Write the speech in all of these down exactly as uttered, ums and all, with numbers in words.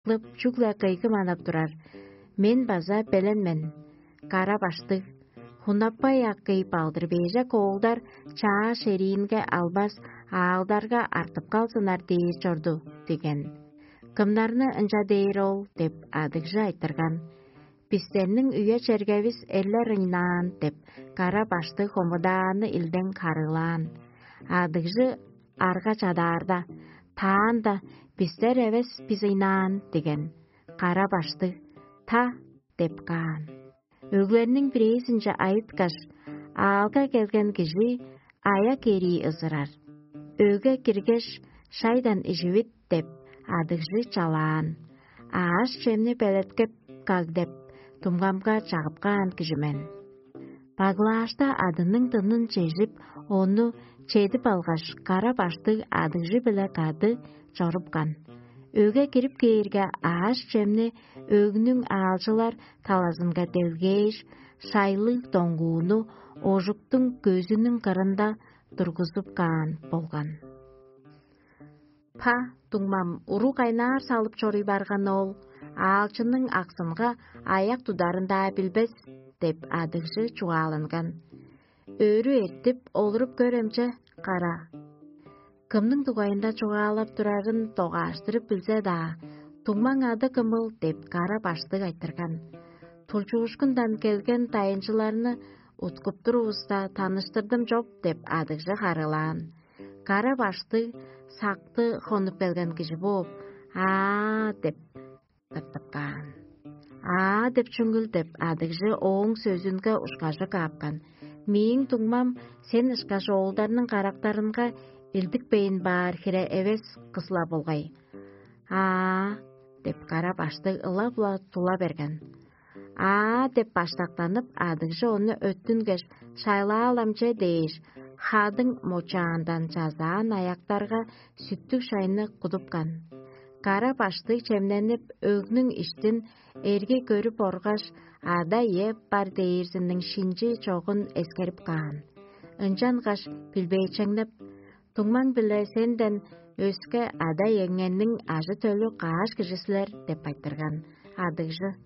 кылып, чүгле кыйгы манап турар. Мен база белен мен, кара баштыг. Хунаппай акый балдыр бежек оолдар чаа шериинге албас, аалдарга артып калзынар дээр чорду» – деген. «Кымнарны ынча дээр ол?» – деп, адыгжы айтырган. «Бистерниң үе-чергевис эрлер ыйнаан» – деп, кара баштыг хомудааны илдең харыылаан. Адыгжы арга чадаарда: «Таанда бистер эвес бис ыйнаан» – деген. Кара баштыг: «Та» – деп каан. Өглерниң бирээзинче айыткаш, аалга келген кижи аяк эрии ызырар. «Өгге киргеш, шайдан иживит» – деп, адыгжы чалаан. «Ааш-чемни белеткеп каг» – деп, дуңмамга чагып каан кижи мен. Баглаашта адының дынын чежип, ону чедип алгаш, кара баштыг адыгжы-биле кады чорупкан. Өгге кирип кээрге, ааш-чемни өгнүң аалчылар талазынга делгээш, шайлыг доңгууну ожуктуң көзүнүң кырында тургузуп каан болган. «Па, дуңмам, уру кайнаар салып чоруй барган ол, аалчының аксынга аяк тударын-даа билбес» – деп, адыгжы чугааланган. «Өрү эртип, олуруп көрем че, кара». Кымның дугайында чугаалап турарын догааштырып билзе-даа, «Дуңмаң ады кымыл?» – деп, кара баштыг айтырган. «Тулчуушкундан келген дайынчыларны уткуп турувуста, таныштырдым чоп» – деп, адыгжы харыылаан. Кара баштыг сакты хонуп келген кижи бооп: «Аа» – деп тыртып каан. «Аа» деп чүңүл деп, адыгжы ооң сөзүнге ушкажы каапкан: «Мээң дуңмам сен ышкаш оолдарның карактарынга илдикпейн баар хире эвес кыс-ла болгай». «Аа» – деп, кара баштыг ылап-ла тула берген. «Аа» – деп баштактанып, адыгжы ону өттүнгеш: «Шайлаалам че» – дээш, хадың мочаандан чазаан аяктарга сүттүг шайны кудупкан. Кара баштыг чемненип, өгнүң иштин эрги көрүп оргаш, ада-ие бар дээрзиниң шинчи чогун эскерип каан. Ынчангаш билбээчеңнеп: «Дуңмаң-биле сенден өске ада-иеңерниң ажы-төлү каш кижи силер?» – деп айтырган. Адыгжы: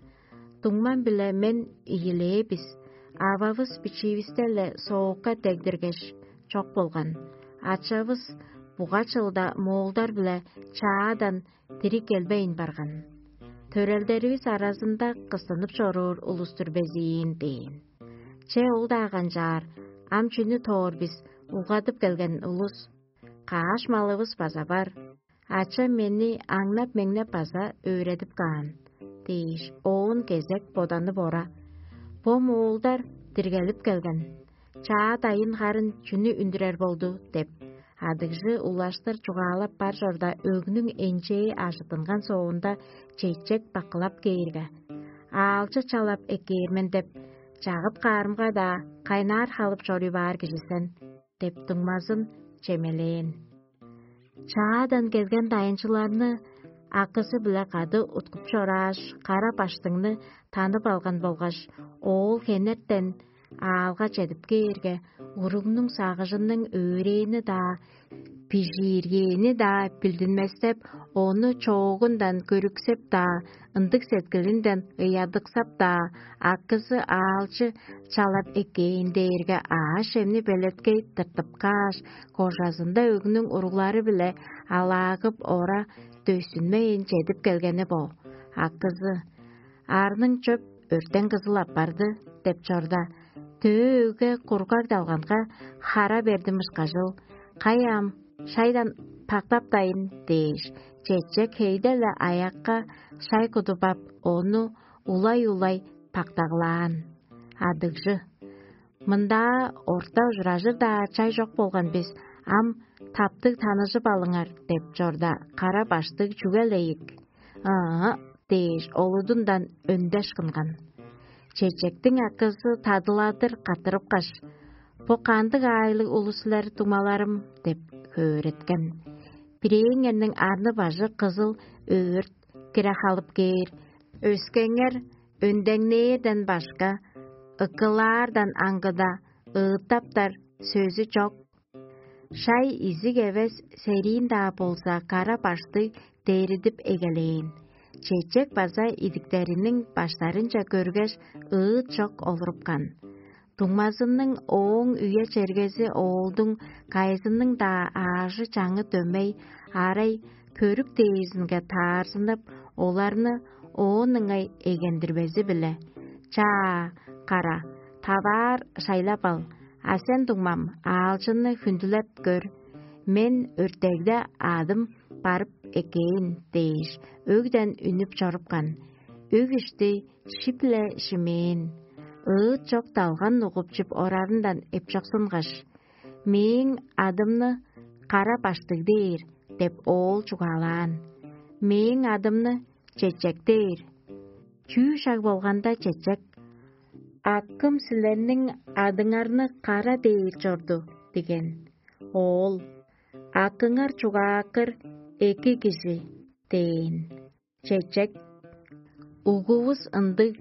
«Дуңмам-биле мен ийилээ бис. Ававыс бичиивисте-ле соокка дегдиргеш, чок болган. Ачавыс буга чылда моолдар-биле чаадан дириг келбейн барган. Төрелдеривис аразында кыстынып чоруур улус-тур безиин» – дээн. «Че, ол-даа канчаар, ам чүнү тоор бис, улгадып келген улус. Каш малывыс база бар. Ачам мени аңнап-меңнеп база өөредип каан» – дээш, оон кезек боданып ора: «Бо моолдар диргелип келген. Чаа дайын харын чүнү үндүрер болду?» – деп, адыгжы улаштыр чугаалап бар чорда, өгнүң энчээ ажыттынган соонда, чечек бакылап кээрге: «Аалчы чалап эккээр мен деп, чагып каарымга-даа, кайнаар халып чоруй баар кижи сен» – деп, дуңмазын чемелээн. Чаадан келген дайынчыларны акызы-биле кады уткуп чорааш, кара баштыңны танып алган болгаш, оол хенертен аалга чедип кээрге, уругнуң сагыжының өөрээни-даа, бижииргээни-даа билдинместеп, ону чоогундан көрүксеп-даа, ындыг сеткилинден ыядыксап-даа, акызы аалчы чалап эккээн дээрге, аъш-чемни белеткей тыртып кааш, кожазында өгнүң уруглары-биле алаагып ора дөсүнмейн чедип келгени бо. Акызы: «Арның чөп өртен кызыл апарды» – деп чорда, төө өгге кургаг далганга хара бердим ышкажыл: «Кай ам, шайдан пактаптайн» – дээш, чечек хейде-ле аякка шай кудуп ап, ону улай-улай пактаглаан. Адыгжы: «Мындаа орта ужуражыр-даа чай чок болган бис, ам таптыг таныжып алыңар» – деп чорда, кара баштыг чүге-ле ийик: «Ыы» – дээш, олудундан өндеш кынган. Чечектиң акызы тадыладыр каттырыпкаш: «Бо кандыг аайлыг улус силер, дуңмаларым?» – деп хөөреткен. «Бирээңерниң арны-бажы кызыл өөрт кире халып кээр, өскеңер өндеңнээрден башка, ыкылаардан аңгыда ыыттаптар сөзү чок». Шай изиг эвес сериин-даа болза, кара баштыг дээридип эгелээн. Чечек база идиктериниң баштарынче көргеш, ыыт чок олурупкан. Дуңмазының ооң үе-чергези оолдуң кайызының-даа аажы-чаңы дөмей, арай, көрүк дээрзинге таарзынып, оларны оон ыңай эгендирбези-биле: «Чаа, кара, таваар шайлап ал, а сен, дуңмам, аалчынны хүндүлеп көр. Мен өртегде адым барып эккээн» – дээш, өгден үнүп чорупкан. Өг ишти шип-ле шимээн, ыыт чок далган угуп чип орарындан эпчоксунгаш: «Мээң адымны Кара-баштыг дээр» – деп оол чугаалаан. «Мээң адымны Чечек дээр». Чүү шаг болганда, чечек: «Акым силерниң адыңарны Кара дээр чорду» – диген. Оол: «Акыңар чугааккыр эки кижи» – дээн. Чечек: «Угувус ындыг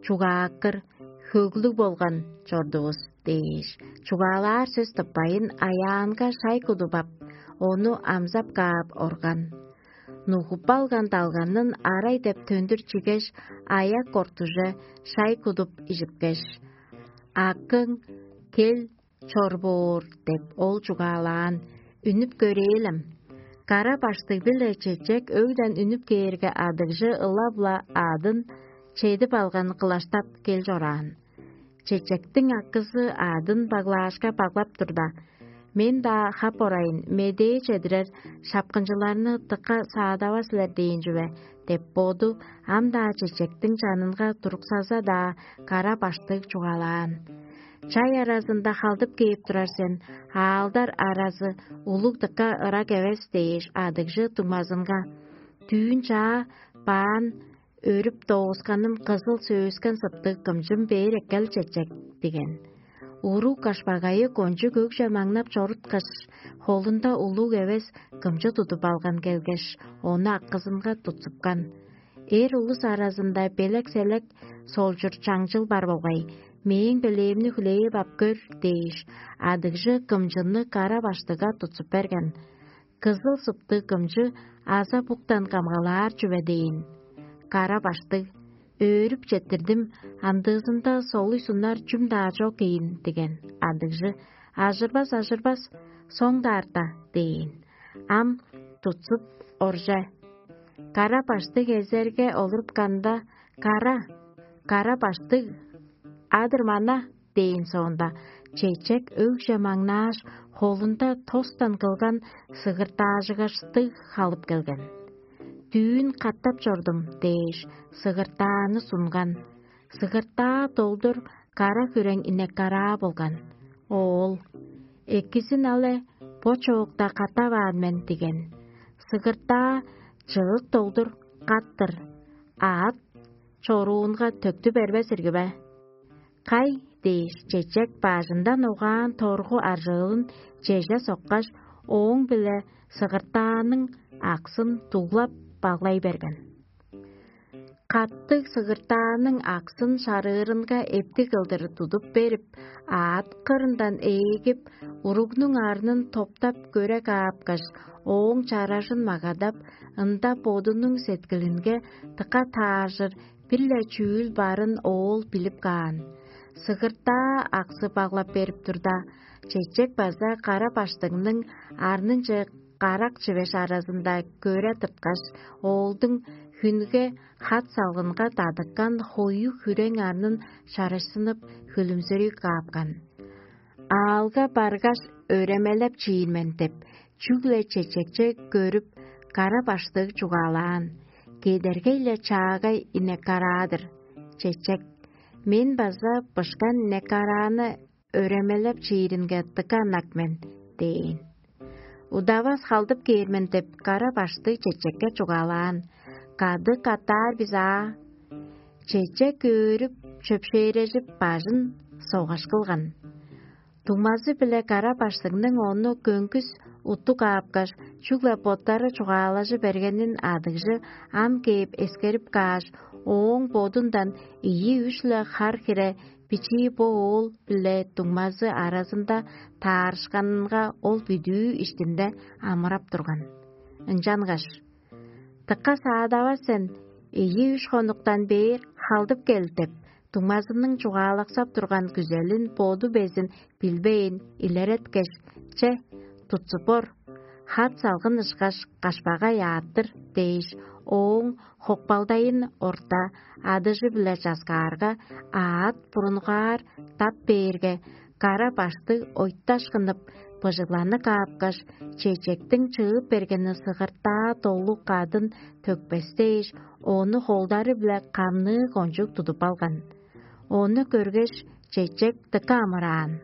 чугааккыр хөглүг болган чордувус» – дээш, чугаалаар сөс тыппайн, аяанга шай кудуп ап, ону амзап каап орган. Нугуппалган далганын арай деп төндүр чигеш, аяк кортуже шай кудуп ижипкеш: «Акың кел чор боор» – деп ол чугаалаан. Үнүп көрээлем. Кара-баштыг-биле чечек өгден үнүп кээрге, адыгжы ылап-ла аъдын чедип алган кылаштап кел чораан. Чечектиң акызы аъдын баглаашка баглап турда: «Мен-даа хап орайын, медээ чедирер шапкынчыларны дыка саадавас силер дээн чүве» – деп боду ам-даа чечектиң чанынга туруксаза-даа, кара-баштыг чугаалаан. «Чай аразында халдып кээп турар сен, аалдар аразы улуг дыка ырак эвес» – дээш, адыгжы дуңмазынга: «Дүүн чаа баан өрүп доосканым кызыл сөөскен сыптыг кымчым бээр эккел, чечек» – диген. Уруг кашпагайы кончуг өгже маңнап чоруткаш, холунда улуг эвес кымчы тудуп алган келгеш, ону акызынга тутсупкан. Эр улус аразында белек-селек солчур чаңчыл бар болгай: «Мээң белээвимни хүлээп ап көр» – дээш, адыгжы кымчынны кара-баштыга тутсуп берген. Кызыл сыптыг кымчы аза буктан камгалаар чүве дээн. Кара-баштыг: «Өөрүп четтирдим, амдыызында солуй сунар чүм-даа чок ийин» – диген. Адыгжы: «Ажырбас, ажырбас, соңдаарта» – дээн. Ам тутсуп орже. Кара-баштыг эзерге олурупканда: «Кара, кара-баштыг, адыр мана» – дээн соонда, чечек өгже маңнааш, холунда тостан кылган сыгыртаажыгаштыг халып келген. «Дүүн катап чордум» – дээш, сыгыртааны сунган. Сыгыртаа долдур кара хүрең инек-караа болган. Оол: «Экизин але, бо чоокта катаваан мен» – диген. Сыгыртаа чыык долдур кат-тыр, аът чоруунга төктү бербес ирги бе? «Кай» – дээш, чечек бажындан угаан торгу аржыылын чеже соккаш, ооң-биле сыгыртааның аксын дуглап баглай берген. Каттыг сыгыртааның аксын шарыырынга эптиг кылдыр тудуп берип, аът кырындан ээлгип, уругнуң арнын топтап көре каапкаш, ооң чаражын магадап, ында бодунуң сеткилинге дыка тааржыр бир-ле чүүл барын оол билип каан. Сыгыртаа аксы баглап берип турда, чечек база кара баштыңның арнынче карак чивеш аразында көре тырткаш, оолдуң хүнге хат салгынга дадыккан хою хүрең арнын чарышсынып, хүлүмзүрүг каапкан. «Аалга баргаш, өремелеп чиир мен» – деп, чүгле чечекче көрүп, кара баштыг чугаалаан. Кедергей-ле чаагай инек караа-дыр. Чечек: «Мен база бышкан инек карааны өремелеп чииринге дыка ынак мен» – дээн. «Удавас халдып кээр мен» – деп, кара баштыг чечекке чугаалаан. «Кады катаар бис аа». Чечек өөрүп, чөпшээрежип, бажын согаш кылган. Дуңмазы-биле кара баштыңның ону көңгүс уттуг аапкаш, чүгле боттары чугаалажы бергенин адыгжы ам кээп эскерип кааш, ооң бодундан ийи-үш-ле хар хире бичии бо оол-биле дуңмазы аразында таарышканынга ол бүдүү иштинде амырап турган. Ынчангаш: «Дыка саадавас сен, Ийи-үш хонуктан бээр халдып кел деп, дуңмазының чугаалаксап турган күзелин боду безин билбейн илереткеш: «Че, тутсуп бор, хат салгын ышкаш кашпагай аат-тыр» – дээш, ооң хокпалдайын орта адыжы-биле часкаарга, аат бурунгаар дап бээрге, кара баштыг ойташкынып, быжыгланы каапкаш, чечектиң чыып бергени сыгыртаа долу кадын төкпестээш, ону холдары-биле камныы кончуг тудуп алган. Ону көргеш, чечек дыка амыраан.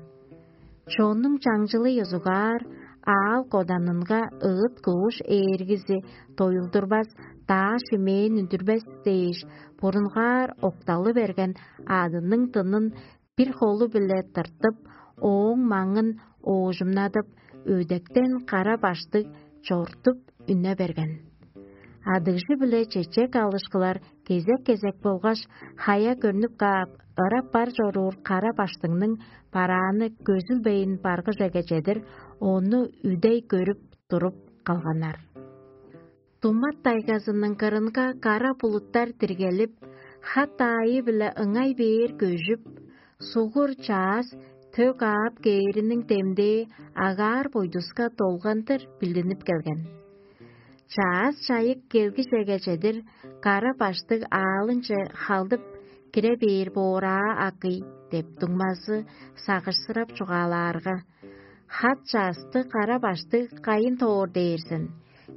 Чоннуң чаңчылы ёзугаар, аал коданынга ыыт-кууш ээргизи доюлдурбас, даа шимээн үндүрбес дээш, бурунгаар окталы берген аадының дынын бир холу-биле тыртып, ооң маңын оожумнадып, өдектен кара баштыг чортуп үне берген. Адыгжы-биле чечек алышкылар кезек-кезек болгаш хая көрнүп каап, ырап бар чоруур кара баштыңның барааны көзүлбейн баргыжеге чедир, ону үдей көрүп туруп калганнар. Думат тайгазының кырынга кара булуттар диргелип, хат аайы-биле ыңай бээр көжүп, сугур чаас төк аап кээриниң демдээ агаар бойдуска долгандыр билдинип келген. Чаас чайык келгижеге чедир кара баштыг аалынче халдып кире бээр боораа акый деп дуңмазы сагышсырап чугаалаарга: «Хат часты кара баштыг кайын тоор дээр сен?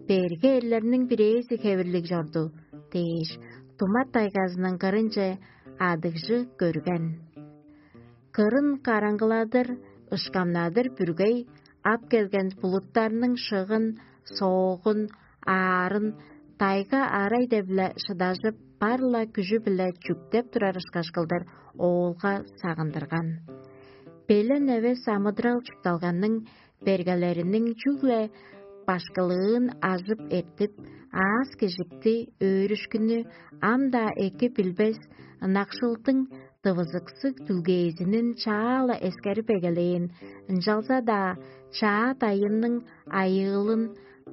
Берге эрлерниң бирээзи хевирлиг чорду» – дээш, Думат тайгазының кырынче адыгжы көрген. Кырын караңгыладыр, ышкамнадыр бүргей ап келген булуттарның шыгын, соогун, аарын тайга арай-деп-ле шыдажып, бар-ла күжү-биле чүктеп турар ышкаш кылдыр оолга сагындырган. Белен эвес амыдырал чуртталганның бергелериниң чүгле башкылыын ажып эртип, аас-кежикти, өөрүшкүнү ам-даа эки билбес ынакшылдың дывызыксыг дүлгээзинин чаа-ла эскерип эгелээн, ынчалза-даа чаа дайынның айыылын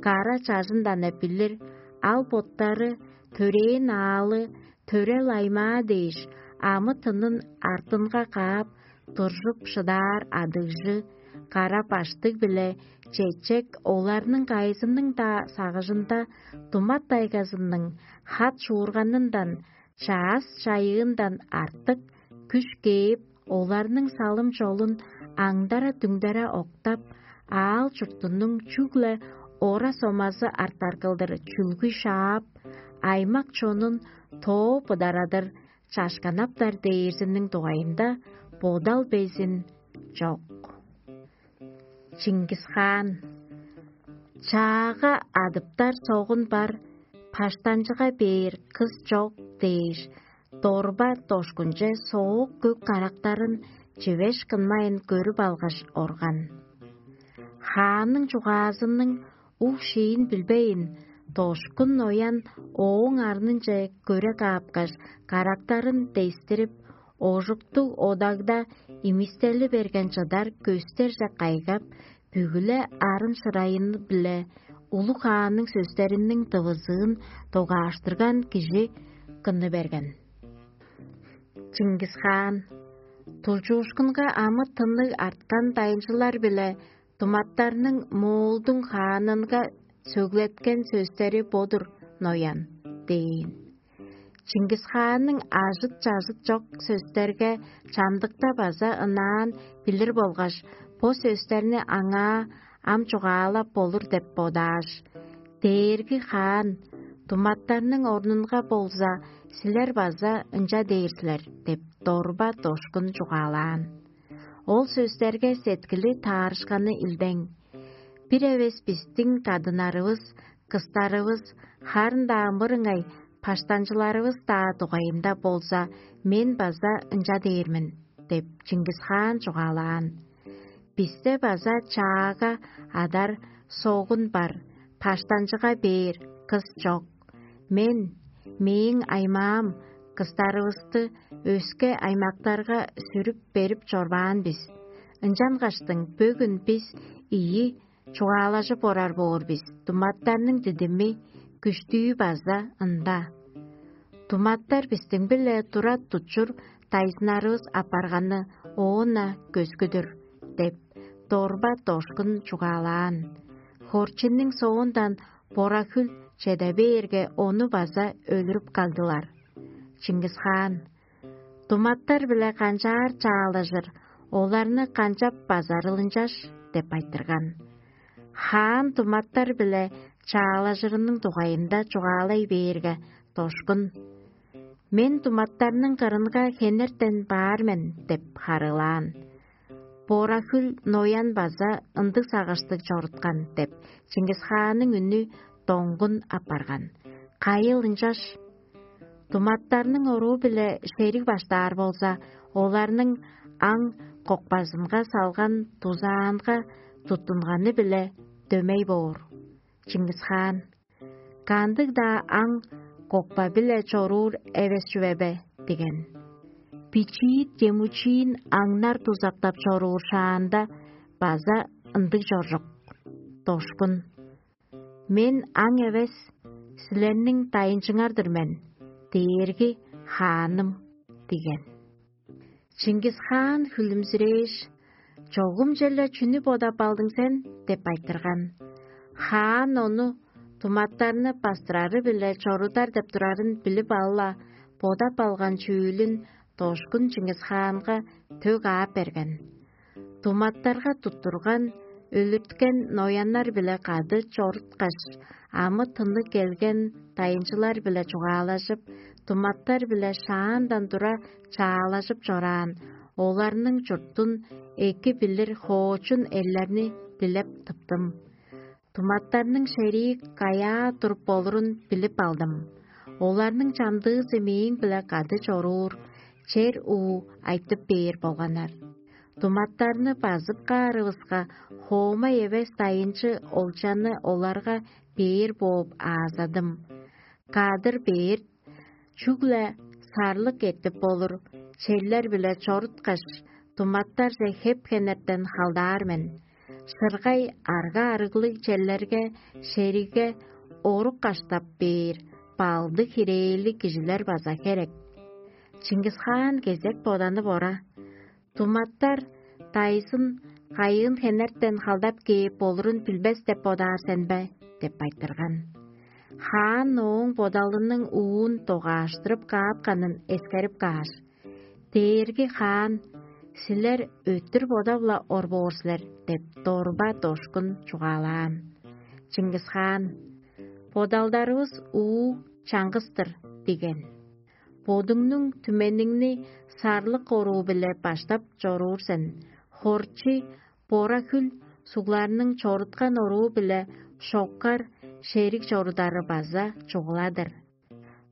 кара чажындан-на билир, ал боттары төрээн аалы, төрел аймаа дээш, амы-тынын артынга каап, туржуп шыдаар адыгжы, кара баштыг биле чечек оларның кайызының-даа сагыжында Думат тайгазының хат шуурганындан, чаас чайыындан артык күш кээп, оларның салым-чолун аңдара-дүңдере октап, аал-чуртунуң чүгле ора-сомазы артар кылдыр чүлгү шаап, аймак чонун тоо быдарадыр чашканаптар дээрзиниң дугайында бодал безин чок. Чингис-хаан. Чаага адыптар согун бар, паштанчыга бээр кыс чок дээш, дорба дошкунче соок көк карактарын чивеш кынмайн көрүп алгаш орган. Хаанның чугаазының уг-шиин билбейн, дошкун ноян ооң арнынче көре каапкаш, карактарын дестирип, ожуктуг одагда имистели берген чыдар көстерже кайгап, бүгү-ле арын-шырайын-биле улуг хаанның сөстериниң дывызыын догааштырган кижи кынны берген. Чингис-хаан. Тулчуушкунга амы-тынныг арткан дайынчылар-биле думаттарның Моолдуң хаанынга сөглеткен сөстери бо-дур, ноян, – дээн. Чингис-хаанның ажыт-чажыт чок сөстерге чамдыкта база ынаан билир болгаш, бо сөстерни аңаа ам чугаалап болур деп бодааш: «Дээрги хаан, думаттарның орнунга болза, силер база ынча дээр силер» – деп дорба дошкун чугаалаан. Ол сөстерге сеткили таарышканы илдең. Бир эвес бистиң кадыннарывыс, кыстарывыс, харын-даа мырыңай паштанчыларывыс-даа дугайында болза, мен база ынча дээр мен деп, Чингис-хаан чугаалаан. Бисте база чаага адар согун бар, паштанчыга бээр кыс чок. Мен, мээң аймаам, кыстарывысты өске аймактарга сүрүп берип чорбаан бис. Ынчангаштың бөгүн бис ийи чугаалажып орар боор бис, думаттарның дидими, күштүү база ында. Туматтар бистиң-биле тура тутчур дайзыннарывыс апарганы оон-на көскүдүр» – деп, дорба дошкун чугаалаан. Хорчинниң соондан бора-хүл чеде бээрге, ону база өлүрүп кагдылар. Чингис-хаан: «Туматтар-биле канчаар чаалажыр, оларны канчап базарыл ынчаш?» – деп айтырган. Хаан туматтар-биле чаалажырының дугайында чугаалай бээрге, дошкун: «Мен туматтарның кырынга хенертен баар мен» – деп харыылаан. «Бора-хүл ноян база ындыг сагыштыг чоруткан» – деп, Чингис-хаанның үнү доңгун апарган. Кайыл ынчаш? Туматтарның оруу-биле шериг баштаар болза, оларның аң кокпазынга салган дузаанга туттунганы-биле дөмей боор. Чингис-хаан: «Кандыг-даа аң кокпа-биле чоруур эвес чүве бе?» – диген. «Бичиит чемучиин аңнар дузактап чоруур шаанда база ындыг чоржук». Дошкун: «Мен аң эвес, силерниң дайынчыңар-дыр мен, дээрги хааным» – диген. Чингис-хаан хүлүмзүрээш: «Чогум черле чүнү бодап алдың сен?» – деп айтырган. Хаан ону туматтарны бастырары-биле чорудар деп турарын билип ала, бодап алган чүүлүн дошкун Чингис-хаанга төг аап берген. Туматтарга туттурган, өлүрткен нояннар-биле кады чоруткаш, амы-тынныг келген дайынчылар-биле чугаалажып, туматтар-биле шаандан тура чаалажып чораан, оларның чуртун эки билир хоочун эрлерни дилеп тыптым. Туматтарның шерии каяа туруп болурун билип алдым. Оларның чамдыызы мээң-биле кады чоруур, чер уу айтып бээр болганнар. Туматтарны базып каарывыска, хоома эвес дайынчы олчаны оларга бээр бооп аазадым. Кадыр бээр чүгле сарлык эртип болур черлер-биле чоруткаш, туматтарже хеп-хенертен халдаар мен. Шыргай арга-арыглыг черлерге шеригге орук каштап бээр балдыг хирээлиг кижилер база херек. Чингис-хаан кезек боданып ора: «Туматтар дайзын кайыын хенертен халдап кээп болурун билбес деп бодаар сен бе?» – деп айтырган. Хаан ооң бодалының уун догааштырып каапканын эскерип кааш: «Дээрги хаан, силер өттүр бодап-ла ор боор силер» – деп дорба дошкун чугаалаан. Чингис-хаан: «Бодалдарывыс уу чаңгыс-тыр» – диген. «Бодуңнуң түмениңни сарлык оруу-биле баштап чоруур сен, хорчи, бора-хүл сугларның чоруткан оруу-биле шоккар шериг чорудары база чугула-дыр.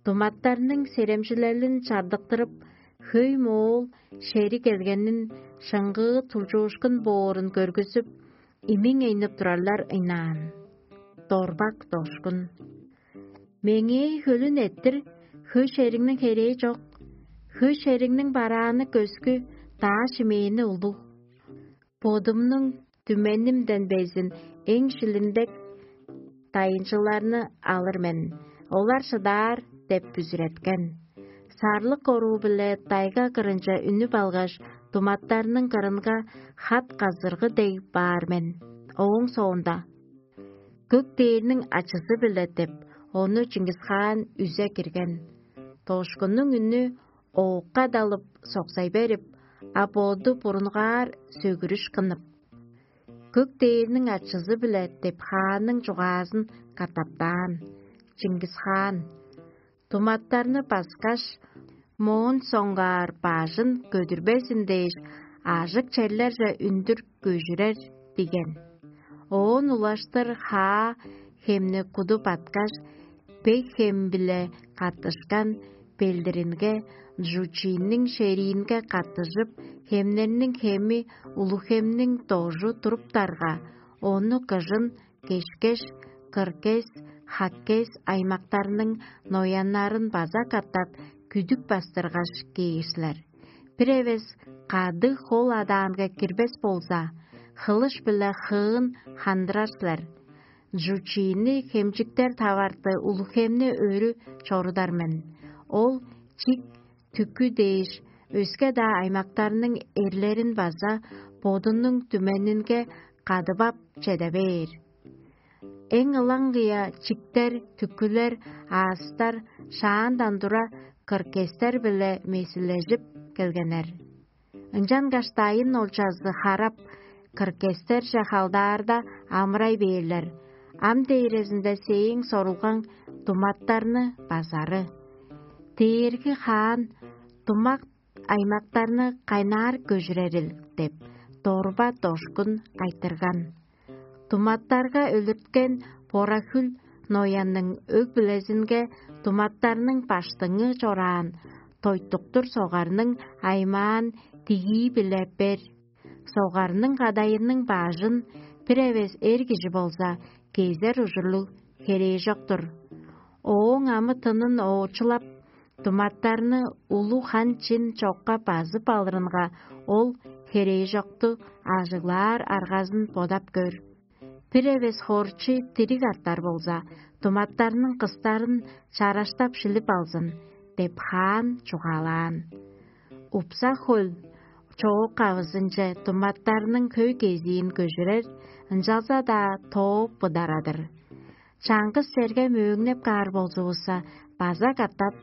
Туматтарның серемчилелин чардыктырып, хөй моол шериг келгенин шыңгыы тулчуушкун боорун көргүзүп, имиң эйнип турарлар ыйнаан». Дорбак дошкун: «Меңээ хөлүн эрттир, хөй шериңниң херээ чок, хөй шериңниң барааны көскү, даа шимээни улуг. Бодумнуң түменимден безин эң шилиндек дайынчыларны алыр мен, олар шыдаар» – деп бүзүреткен. Сарлык оруу-биле тайга кырынче үнүп алгаш, туматтарның кырынга хат-казыргы дег баар мен. Ооң соонда: «Көк дээрниң ачызы-биле» – деп, ону Чингис-хаан үзе кирген. Дошкуннуң үнү оокка далып, соксай берип, а боду бурунгаар сөгүрүш кынып: «Көк дээрниң ачызы-биле» – деп хаанның чугаазын катаптаан. Чингис-хаан: «Туматтарны баскаш, моон соңгаар бажын көдүрбезин дээш, ажык черлерже үндүр көжүрер» – диген. Оон улаштыр хаа хемни куду баткаш, бег хем-биле каттышкан белдиринге, Джучинниң шериинге каттыжып, хемнерниң хеми Улуг-Хемниң дожу туруптарга, ону кыжын Кешкеш, Кыргес, Хаккес аймактарның нояннарын база катап күдүк бастыргаш кээр силер. Бир эвес кадыг хол адаанга кирбес болза, хылыш-биле хыын хандырар силер. Джучини хемчиктер таварты Улуг-Хемни өрү чорудар мен. Ол чик, түкү дээш, өске-даа аймактарның эрлерин база бодунуң түменинге кадып ап чеде бээр. Эң ылаңгыя чиктер, түкүлер, аастар шаандан тура кыркестер-биле месилежип келгеннер. Ынчангаш дайын олчазы харап, кыркестерже халдаарда, амырай бээрлер. Ам дээрезинде сээң сорулгаң туматтарны базары. Дээрги хаан тумак аймактарны кайнаар көжүрерил деп, дорба-дошкун айтырган. Туматтарга өлүрткен бора-хүл Ноянның өг-бүлезинге туматтарның баштыңы чораан тойтуктур согарның аймаан дигии-биле бер. Согарның кадайының бажын бир эвес эр кижи болза, кезер ужурлуг херээжок-тур. Ооң амы-тынын оочулап, туматтарны улуг хан-чин чокка базып алырынга, ол херээжокту ажыглаар аргазын бодап көр. Бир эвес хорчу дириг артар болза, туматтарның кыстарын чараштап шилип алзын деп, хаан чугаалаан. Упса хөл чоок кавызынче туматтарның хөй кезиин көжүрер, ынчалза-даа тооп быдарадыр. Чаңгыс черге мөөңнеп каар болзувусса, база катап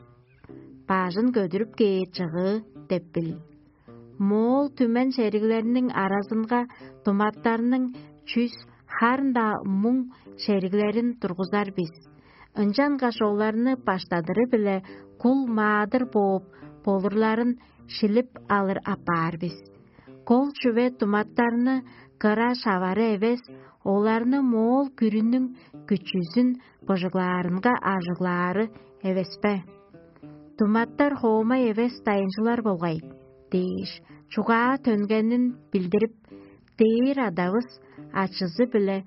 бажын көдүрүп кээр чыгыы деп бил. Моол түмен шериглерниң аразынга туматтарның чүс, харын-даа муң шериглерин тургузар бис. Ынчангаш оларны баштадыры-биле кул маадыр бооп болурларын шилип алыр апаар бис. Кол чүве туматтарны кыра шавары эвес, оларны моол күрүнүң күчүзүн быжыглаарынга ажыглаары эвеспе? Туматтар хоомай эвес дайынчылар болгай дээш, чугаа төнгенин билдирип, дээр адавыс ачызы-биле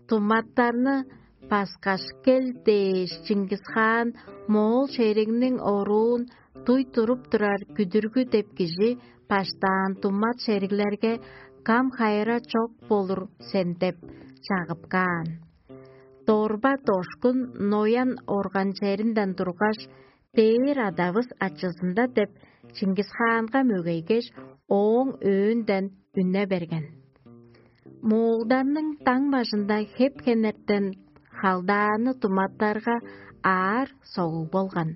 туматтарны паскаш кел дээш, Чингис-хаан моол шеригниң оруун дуй туруп турар күдүргү деп кижи баштаан тумат шериглерге кам-хайыра чок болур сен деп чагып каан. Дорба-дошкун ноян орган черинден тургаш, дээр адавыс ачызында деп Чингис-хаанга мөгейгеш, ооң өөөнден үне берген. Моолдарның даң бажында хеп-хенертен халдааны туматтарга аар согуг болган.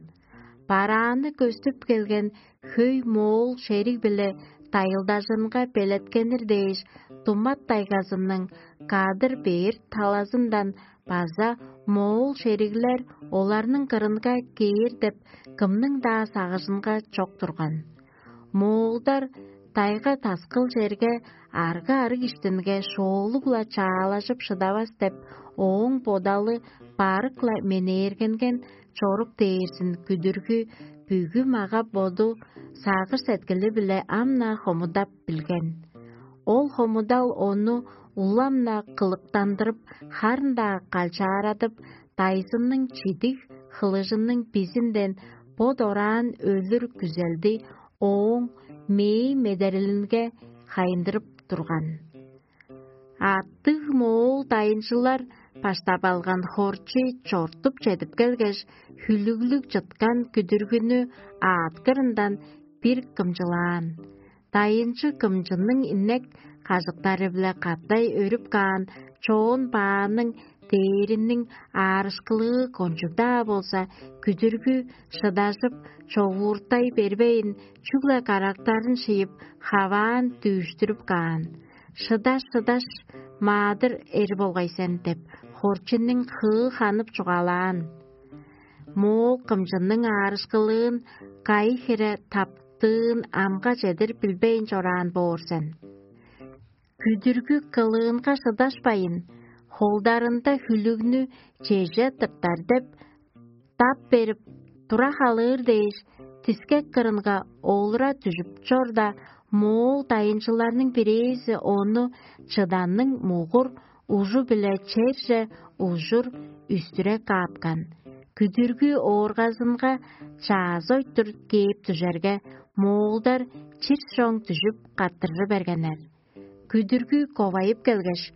Барааны көстүп келген хөй моол шериг-биле дайылдажынга белеткенир дээш, тумат тайгазының кадыр бээр талазындан база моол шериглер оларның кырынга кээр деп кымның-даа сагыжынга чок турган. Моолдар тайга-таскыл черге, арга-арыг иштинге шоолуг-ла чаалажып шыдавас деп, ооң бодалы барык-ла менээргенген чорук дээрзин күдүргү бүгү мага-боду, сагыш-сеткили-биле ам-на хомудап билген. Ол хомудал ону улам-на кылыктандырып, харын-даа калчаарадып, дайзынның чидиг хылыжының бизинден бо дораан өлүр күзелди ооң мээң медерелинге хайындырып турган. Аттыг моол дайынчылар баштап алган хорчу чортуп чедип келгеш, хүлүглүг чыткан күдүргүнү аъткырындан бир кымчылаан. Дайынчы кымчының инек кажыктары-биле катай өрүп каан чоон бааның дээриниң аарышкылыы кончуг-даа болза, күдүргү шыдажып, човууртай бербейн, чүгле карактарын шыйып, хаваан дүүштүрүп каан. «Шыдаш, шыдаш, маадыр эр болгай сен» — деп, хорчуннуң хыы ханып чугаалаан. Моол кымчының аарышкылыын кайы хире таптыын амга чедир билбейн чораан боор сен. Күдүргү кылыынга шыдашпайн, холдарында хүлүгнү чеже тыртар деп, тап берип, тура халыыр дээш, дискек кырынга олура дүжүп чорда, моол дайынчыларның бирээзи ону чыданның мугур ужу-биле черже ужур үстүре каапкан. Күдүргү ооргазынга чаазы ойтур кээп дүжерге, моолдар чир чоң дүжүп каттыржы бергеннер. Күдүргү ковайып келгеш: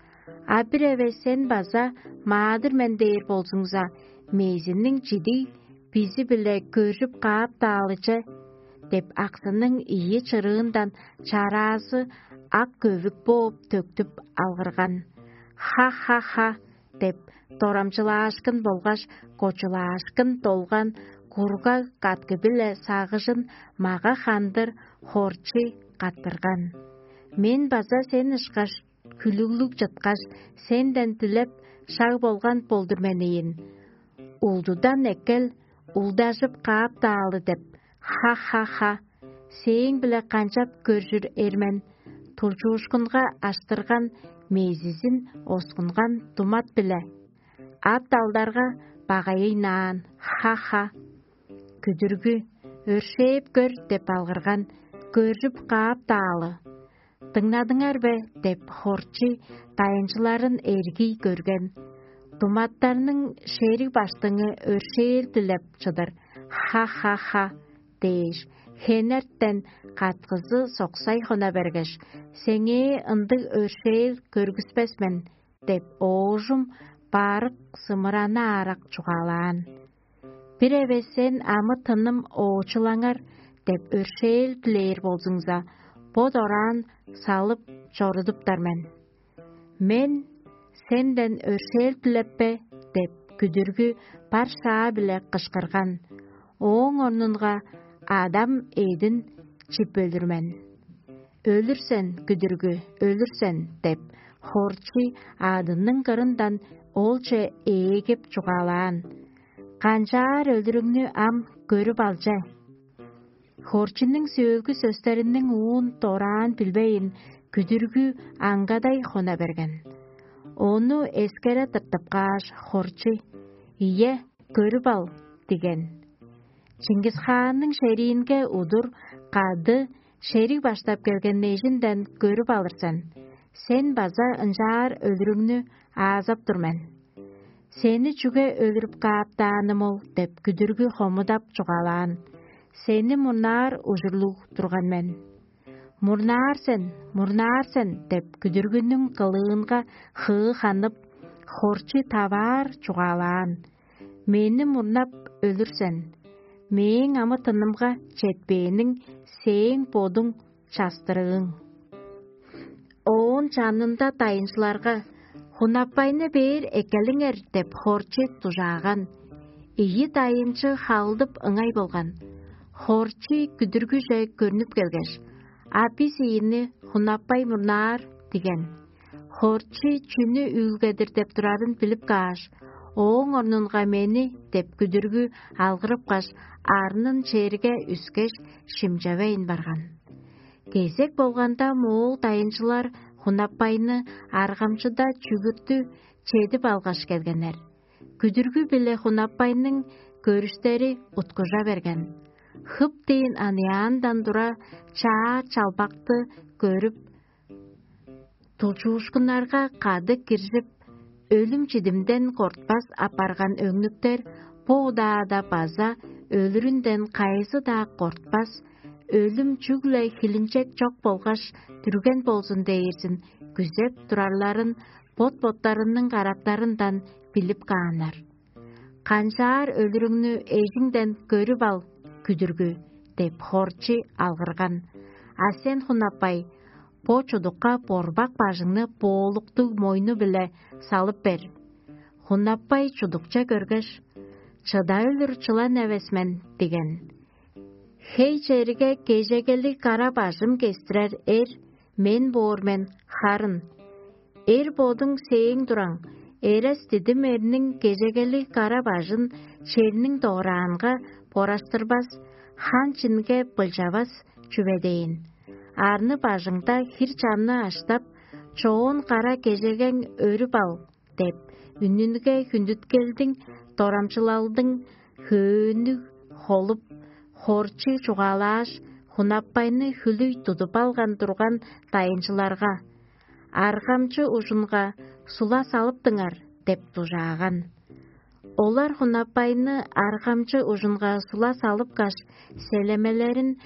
«А бир эвес сен база маадыр мен дээр болзуңза, мээзинниң чидиг бизи-биле көржүп кааптаалы че» – деп, аксының ийи чырыындан чараазы ак көвүк бооп төктүп алгырган. «Ха-ха-ха!» – деп, дорамчылаашкын болгаш кочулаашкын долган кургаг каткы-биле сагыжын мага-хандыр хорчий каттырган. «Мен база сен ышкаш хүлүглүг чыткаш, сенден дилеп шаг болган болдур мен ийин. Улдудан эккел, улдажып кааптаалы деп, ха-ха-ха, сээң-биле канчап көржүр эр мен, тулчуушкунга аштырган мезизин оскунган думат-биле, ат алдарга багайыйнаан, ха-ха. Күдүргү: «Өршээп көр» – деп алгырган, көржүп кааптаалы. «Дыңнадыңар бе?» – деп, хорчий дайынчыларын эргий көрген. Думаттарның шериг баштыңы өршээл дилеп чыдыр, ха-ха-ха дээш, хенертен каткызы соксай хона бергеш: «Сеңээ ындыг өршээл көргүспес мен» – деп, оожум барык сымыраны аарак чугаалаан. «Бир эвес сен амы-тыным оочулаңар деп өршээл дилээр болзуңза, бо дораан салып чорудуптар мен. Мен сенден өршээл дилеппе» – деп, күдүргү бар шаа-биле кышкырган. Ооң орнунга адам эъдин чип өлүр мен. «Өлүр сен, күдүргү, өлүр сен» – деп, хорчий аъдының кырындан олче ээгип чугаалаан. «Канчаар өлүрүңнү ам көрүп алче». Хорчунуң сөөлгү сөстериниң уун дораан билбейн, күдүргү аңгадай хона берген. Ону эскере тыртып кааш, хорчу: «Ийе, көрүп ал» – диген. «Чингисхаанның шериинге удур кады шериг баштап келген эжинден көрүп алыр сен. Сен база ынчаар өлүрүңнү аазап тур мен. Сени чүге өлүрүп кааптааным ол?» – деп күдүргү хомудап чугаалаан. «Сени мурнаар ужурлуг турган мен». «Мурнаар сен, мурнаар сен» – деп күдүргүнүң кылыынга хыы ханып, хорчу таваар чугаалаан. «Мени мурнап өлүр сен. Мээң амы-тынымга четпээниң сээң бодуң частырыың». Оон чанында дайынчыларга: «Хунаппайны бээр эккелиңер» – деп хорчу дужааган. Ийи дайынчы халдып ыңай болган. Хорчу күдүргүже көрнүп келгеш: «А бис ийини хунаппай мурнаар» – диген. Хорчу чүнү үүлгедир деп турарын билип кааш: «Ооң орнунга мени» – деп күдүргү алгырыпкаш, арнын черге үскеш, шимчевейн барган. Кезек болганда моол дайынчылар хунаппайны аргамчыда чүгүртү чедип алгаш келгеннер. Күдүргү-биле хунаппайның көрүштери уткужа берген. Хып дээн аныяандан тура чаа чалбакты көрүп, тулчуушкуннарга кады киржип, өлүм-чидимден кортпас апарган өңнүктер бо удаада база өлүрүнден кайызы-даа кортпас, өлүм чүгле хилинчек чок болгаш дүрген болзун дээрзин күзеп турарларын бот-боттарының карактарындан билип кааннар. «Канчаар өлүрүңнү эжиңден көрүп ал, күдүргү» – деп хорчу алгырган. «А сен, хунаппай, бо чудукка борбак бажыңны боолуктуг мойну-биле салып бер». Хунаппай чудукче көргеш: «Чыда өлүр чылан эвес мен» – диген. «Хей чериге кежегелиг кара бажым кестирер эр мен боор мен харын. Эр бодуң сээң тураң, эрес дидим эрниң кежегелиг кара бажын черниң дораанга бораштырбас, хан чинге былчавас чүве дээн. Арны бажыңда хир чамны аштап, чоон кара кежегең өрүп ал» – деп, үнүнге хүндүткелдиң дорамчылалдың хөөннүг холуп, хорчу чугаалааш, хунаппайны хүлүй тудуп алган турган дайынчыларга: «Аргамчы ужунга сула салыптыңар» – деп дужааган. Олар хунаппайны аргамчы ужунга сула салыпкаш, селемелерин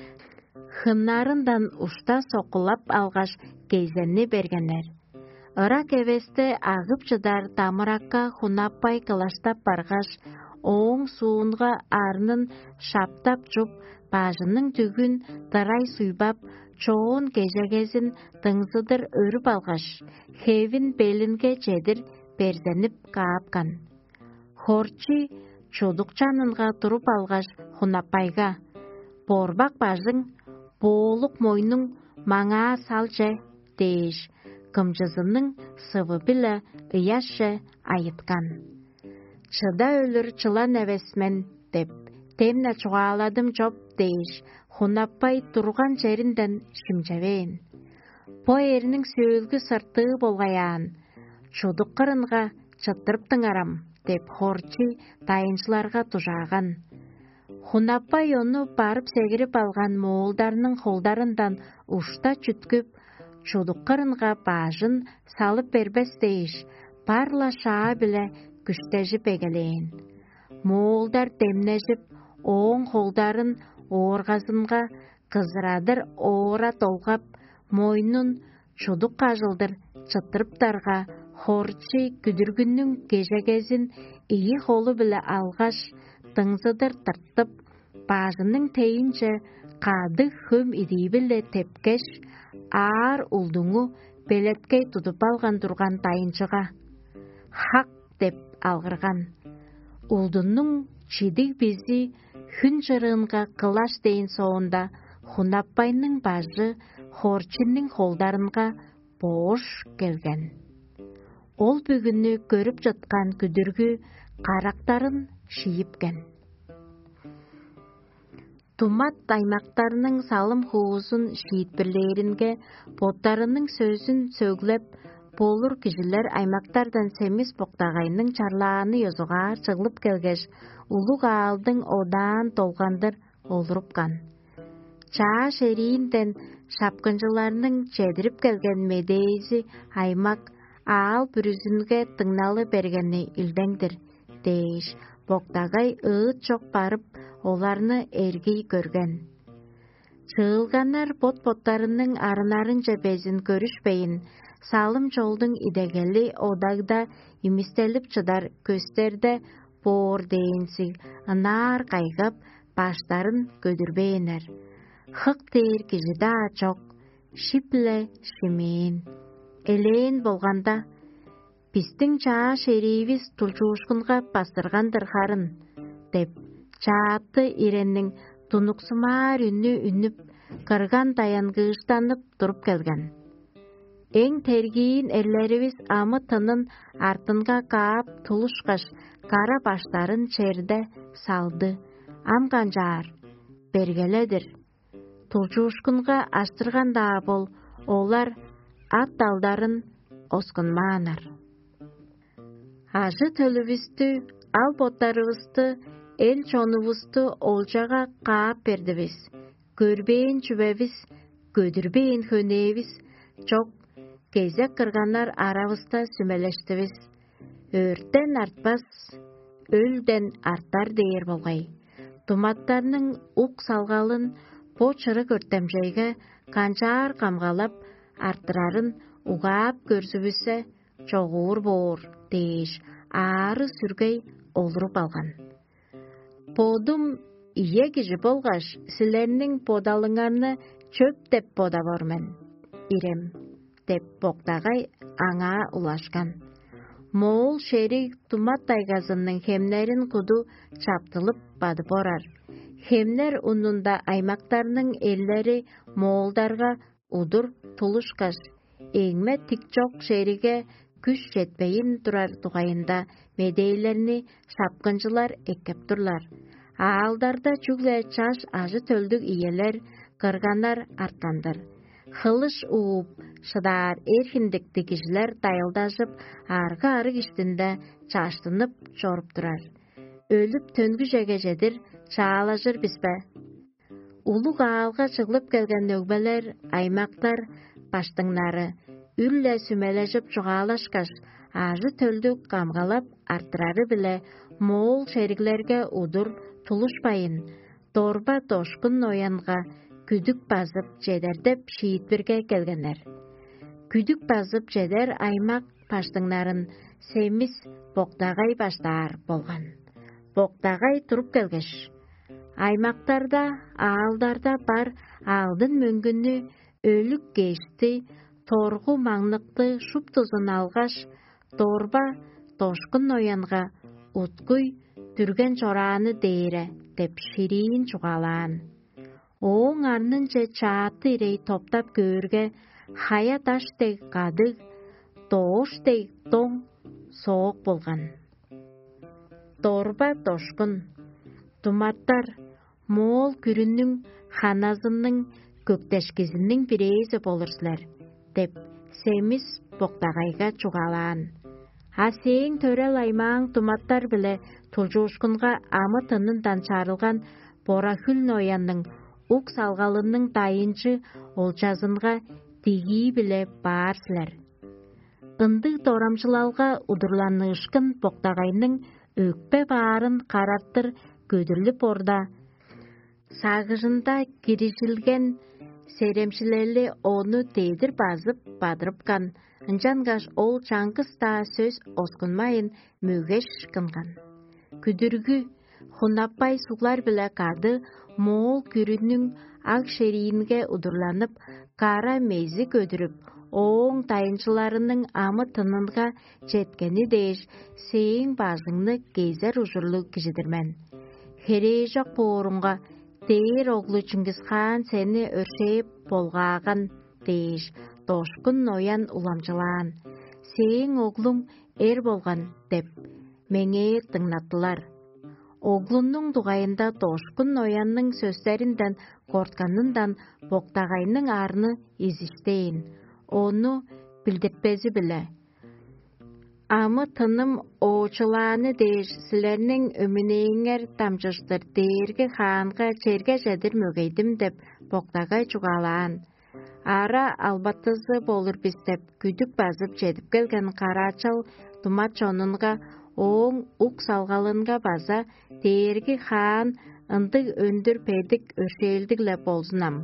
хыннарындан ушта соккулап алгаш, кезенни бергеннер. Ырак эвесте агып чыдар дамыракка хунаппай кылаштап баргаш, ооң суунга арнын шаптап чуп, бажының дүгүн дырай суйбап, чоон кежегезин дыңзыдыр өрүп алгаш, хевин белинге чедир берзенип каапкан. Хорчи чудукчанынга туруп алгаш, Хунаппайга: «Борбак бажың, боолук мойнуң маңаа салче» – дээш, кымчызының сывы-биле ыяшче айыткан. «Чыда өлүр чылан эвес мен» – деп, демне чугааладым чоп дээш, Хунаппай турган черинден шимчевээн. Бо эрниң сөөлгү сыртыы болгаяан, чудук кырынга чыттырыптыңарам деп, хорчий дайынчыларга дужааган. Хунаппай ону барып сегирип алган моолдарның холдарындан ушта чүткүп, чудук кырынга баажын салып бербес дээш, бар-ла шаа-биле күштежип эгелээн. Моолдар демнежип, ооң холдарын ооргазынга кызырадыр оора долгап, мойнун чудук кажылдыр чыттырыптарга, хорчий күдүргүнүң кежегезин ийи холу-биле алгаш, дыңзыдыр тыртып, бажының тейинче кадыг хөм идии-биле тепкеш, аар улдуңу белеткей тудуп алган турган дайынчыга: «Хак!» – деп алгырган. Улдунуң чидиг бизи хүн чырыынга кылаш дээн соонда, Хунаппайның бажы хорчинниң холдарынга боош келген. Ол бүгүнү көрүп чыткан күдүргү карактарын шиипкен. Думат аймактарның салым-хуузун шиитпирлээринге, боттарының сөзүн сөглеп болур кижилер аймактардан Семис Боктагайның чарлааны ёзугаар чыглып келгеш, улуг аалдың одаан долгандыр олурупкан. Чаа шериинден шапкынчыларның чедирип келген медээзи аймак аал бүрүзүнге дыңналы бергени илдең-дир дээш, Боктагай ыыт чок барып, оларны эргий көрген. Чыылганнар бот-боттарының арыннарынче безин көрүшпейн, салым-чолдуң идегели одагда имистелип чыдар көстерде боор дээнзиг ынаар кайгап, баштарын көдүрбээннер. Хык дээр кижи-даа чок, шип-ле шимээн. Элээн болганда: «Бистиң чаа шериивис тулчуушкунга бастырган-дыр харын» – деп, чаатты иренниң тунуксумаар үнү үнүп, кырган даянгыыштанып туруп келген. Эң тергиин эрлеривис амы-тынын артынга каап тулушкаш, кара баштарын черде салды. Ам канчаар? Бергеле-дир. Тулчуушкунга аштырган-даа бол, олар ат-далдарын оскунмааннар. Ажы-төлүвүстү, ал-боттарывысты, эл-чонувусту олчага каап бердивис. Көрбээн чүвевис, көдүрбээн хөнээвис чок, кезек кырганнар аравыста сүмелештивис. Өрттен артпас, өлден артар дээр болгай. Думаттарның ук салгалын бо чырык өртемчейге канчаар камгалап арттырарын угаап көрзүвүссе, чогуур боор дээш, аары-сүргей олуруп алган. Бодум ие кижи болгаш, силерниң бодалыңарны чөп деп бодавор мен, ирем» – деп, Боктагай аңаа улашкан. Моол шериг Думат тайгазының хемнерин куду чаптылып бадып орар. Хемнер унунда аймактарның эллери моолдарга удур тулушкаш, эңме тик чок шериге күш четпейн турар дугайында медээлерни шапкынчылар эккеп турлар. Аалдарда чүгле чаш ажы-төлдүг иелер, кырганнар арткан-дыр. Хылыш ууп шыдаар эр хиндиктиг кижилер дайылдажып, аргы-арыг иштинде чаштынып чоруп турар. Өлүп, төнгүжеге чедир чаалажыр бис бе? Улуг аалга чыглып келген өгбелер, аймактар баштыңнары үр-ле сүмележип чугаалашкаш, ажы-төлдү камгалап арттырары-биле моол шериглерге удур тулушпайн, дорба-дошкун ноянга күдүк базып чедер деп шиитпирге келгеннер. Күдүк базып чедер аймак баштыңнарын Семис Боктагай баштаар болган. боктагай туруп келгеш, аймактарда, аалдарда бар алдын мөңгүннү, өлүк кешти, торгу маңныкты шуптузун алгаш, дорба дошкун ноянга уткуй дүрген чорааны дээре деп шириин чугаалаан. Ооң арнынче чаатты ирей топтап көөрге, хая даш дег кадыг, доош дег доң соок болган. Дорба дошкун, думаттар, моол күрүнүң ханазының көктешкизиниң бирээзи болур силер деп, Семис боктагайга чугаалаан. А сээң төрел аймааң думаттар-биле тулчуушкунга амы-тынындан чарылган бора-хүл ноянның ук салгалының дайынчы олчазынга дигии-биле баар силер. Ындыг дорамчылалга удурланыышкын боктагайның өкпе баарын карартыр көдүрлүп орда, сагыжында кирижилген серемчилели ону дедир базып бадырыпкан, ынчангаш ол чаңгыс-даа сөс оскунмайн мөгеш кынган. Күдүргү, хунаппай суглар-биле кады моол күрүнүң аг шериинге удурланып, кара мези көдүрүп, ооң дайынчыларының амы-тынынга четкени дээш, сээң бажыңны кезер ужурлуг кижи-дир мен. Херээжок боорунга, дээр оглу Чыңгыс-хаан сени өршээп болгааган дээш, дошкун ноян уламчылаан: «Сээң оглуң эр болган» – деп, меңээ дыңнаттылар. Оглунуң дугайында дошкун ноянның сөстеринден кортканындан боктагайның арны изиштээн, ону билдиртпези-биле: «Амы-тыным оочулааны дээш, силерниң өмүнээңер дамчыштыр Дээрги Хаанга черге чедир мөгейдим» – деп боктагай чугаалаан. «Ара албатызы болур бис» – деп күдүк базып чедип келген караачал дума чонунга, ооң ук салгалынга база Дээрги Хаан ындыг өндүр бедик өршээлдиг-ле болзун ам.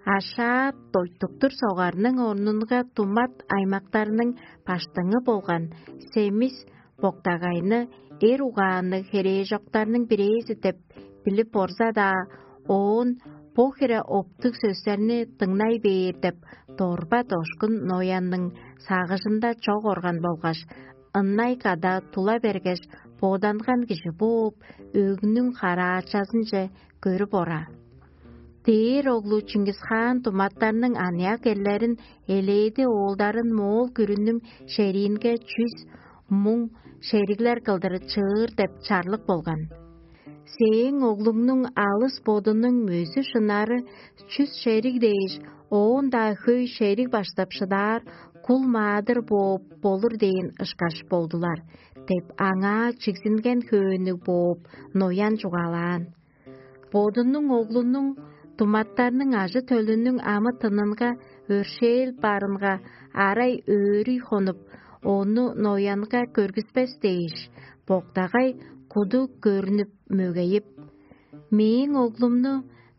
Ашаат дойтуктур согарның орнунга думат аймактарның баштыңы болган Семис боктагайны эр угаанныг херээжоктарның бирээзи деп билип орза-даа, оон бо хире оптуг сөстерни дыңнай бээр деп дорба дошкун ноянның сагыжында чок орган болгаш, ынай када тула бергеш, боданган кижи бооп, өгнүң караачазынче көрүп ора. Дээр оглу Чыңгыс-хаан думаттарның аныяк эрлерин, элээди оолдарын моол күрүнүң шериинге чүс муң шериглер кылдыр чыыр деп чарлык болган. Сээң оглуңнуң алыс бодунуң мөзү-шынары чүс шериг дээш, оон-даа хөй шериг баштап шыдаар кул маадыр бооп болур дээн ышкаш болдулар деп, аңаа чигзинген хөөннүг бооп, ноян чугаалаан. Бодунуң оглунуң думаттарның ажы-төлүнүң амы-тынынга өршээл барынга арай өөрүй хонуп, ону ноянга көргүспес дээш, боктагай куду көрнүп мөгейип: «Мээң оглумну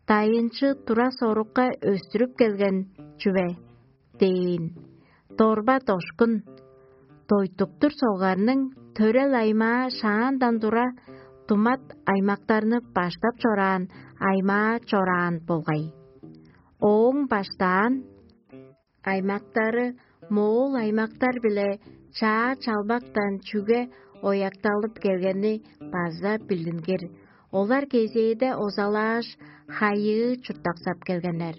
дайынчы тура-сорукка өстүрүп келген чүве» – дээн. Дорба дошкун, дойтуктур солгарның төрел аймаа шаандан тура думат аймактарны баштап чораан аймаа чораан болгай. Ооң баштаан аймактары моол аймактар-биле чаа чалбактан чүге оякталып келгени база билдингир. Олар кезээде озалааш, хайыы чурттаксап келгеннер.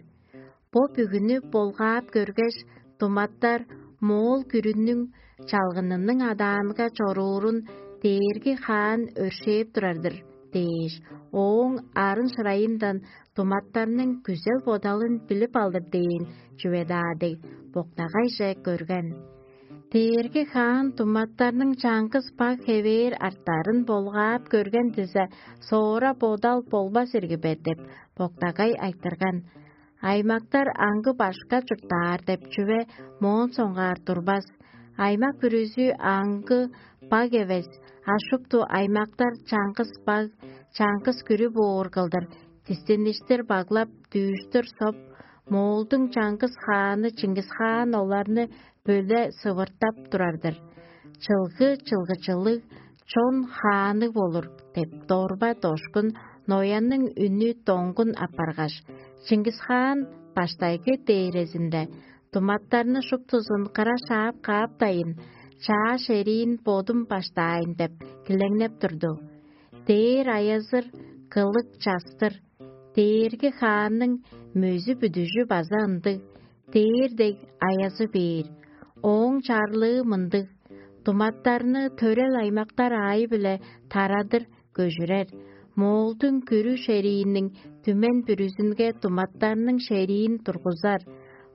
Бо бүгүнү болгаап көргеш, думаттар моол күрүнүң чалгынының адаанга чоруурун дээрги хаан өршээп турар-дыр дээш, ооң арын-шырайындан думаттарның күзел-бодалын билип алыр дээн чүве-даа дег, боктагайже көрген. Дээрги хаан думаттарның чаңгыс баг хевээр арттарын болгаап көрген дизе, соора бодал болбас ирги бе деп, боктагай айтырган. Аймактар аңгы башка чурттаар деп чүве моон соңгаар турбас. Аймак бүрүзү аңгы баг эвес, а шупту аймактар чаңгыс баг, чаңгыс күрү боор кылдыр, дистиништир баглап, дүүштүр соп, Моолдуң чаңгыс хааны Чыңгыс-хаан оларны бөле сывыртап турар-дыр. Чылгы-чылгычылыг, чон хаанныг болур» деп дорба дошкун Ноянның үнү доңгун апаргаш, Чыңгыс хаан баштайгы дээрезинде туматтарны шуптузун кыра шаап кааптайын, чаа шериин бодум баштаайн деп килеңнеп турду. Дээр аязыр, кылык частыр, дээрги хаанның мөзү-бүдүжү база ындыг, дээр дег аязы бээр, ооң чарлыы мындыг: туматтарны төрел аймактар аайы-биле тарадыр көжүрер, моолдуң күрү шерииниң түмен бүрүзүнге туматтарның шериин тургузар,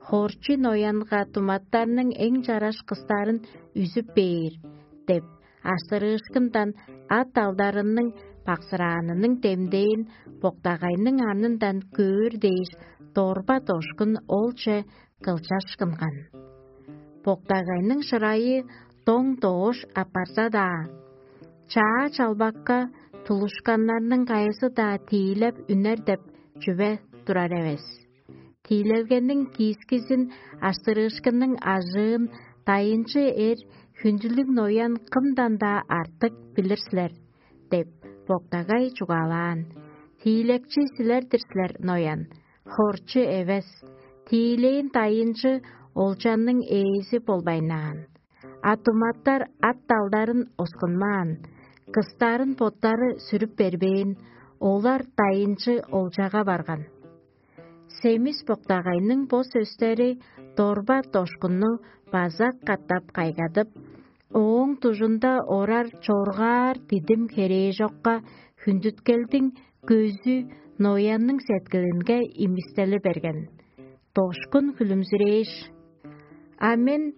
хорчи ноянга туматтарның эң чараш кыстарын үзүп бээр деп, аштырыышкындан ат алдарының баксыраанының демдээн боктагайның арнындан көөр дээш, дорба дошкун олче кылчашкынган. Боктагайның шырайы доң-доош апарза-даа, чаа чалбакка тулушканнарның кайызы-даа тиилеп үнер деп чүве турар эвес. Тиилелгениң киискизин аштырыышкынның ажыын дайынчы эр хүндүлүг ноян кымдан-даа артык билир силер деп, боктагай чугаалаан. Тиилекчи силер-дир силер, ноян, хорчу эвес, тиилээн дайынчы олчанның ээзи болбайнаан. А туматтар ат далдарын оскунмаан, кыстарын боттары сүрүп бербээн, олар дайынчы олчага барган. Семис боктагайның бо сөстери дорба дошкунну база катап кайгадып, ооң дужунда орар чоргаар дидим херээжокка хүндүткелдиң көзү ноянның сеткилинге имистели берген. Дошкун хүлүмзүрээш: «А мен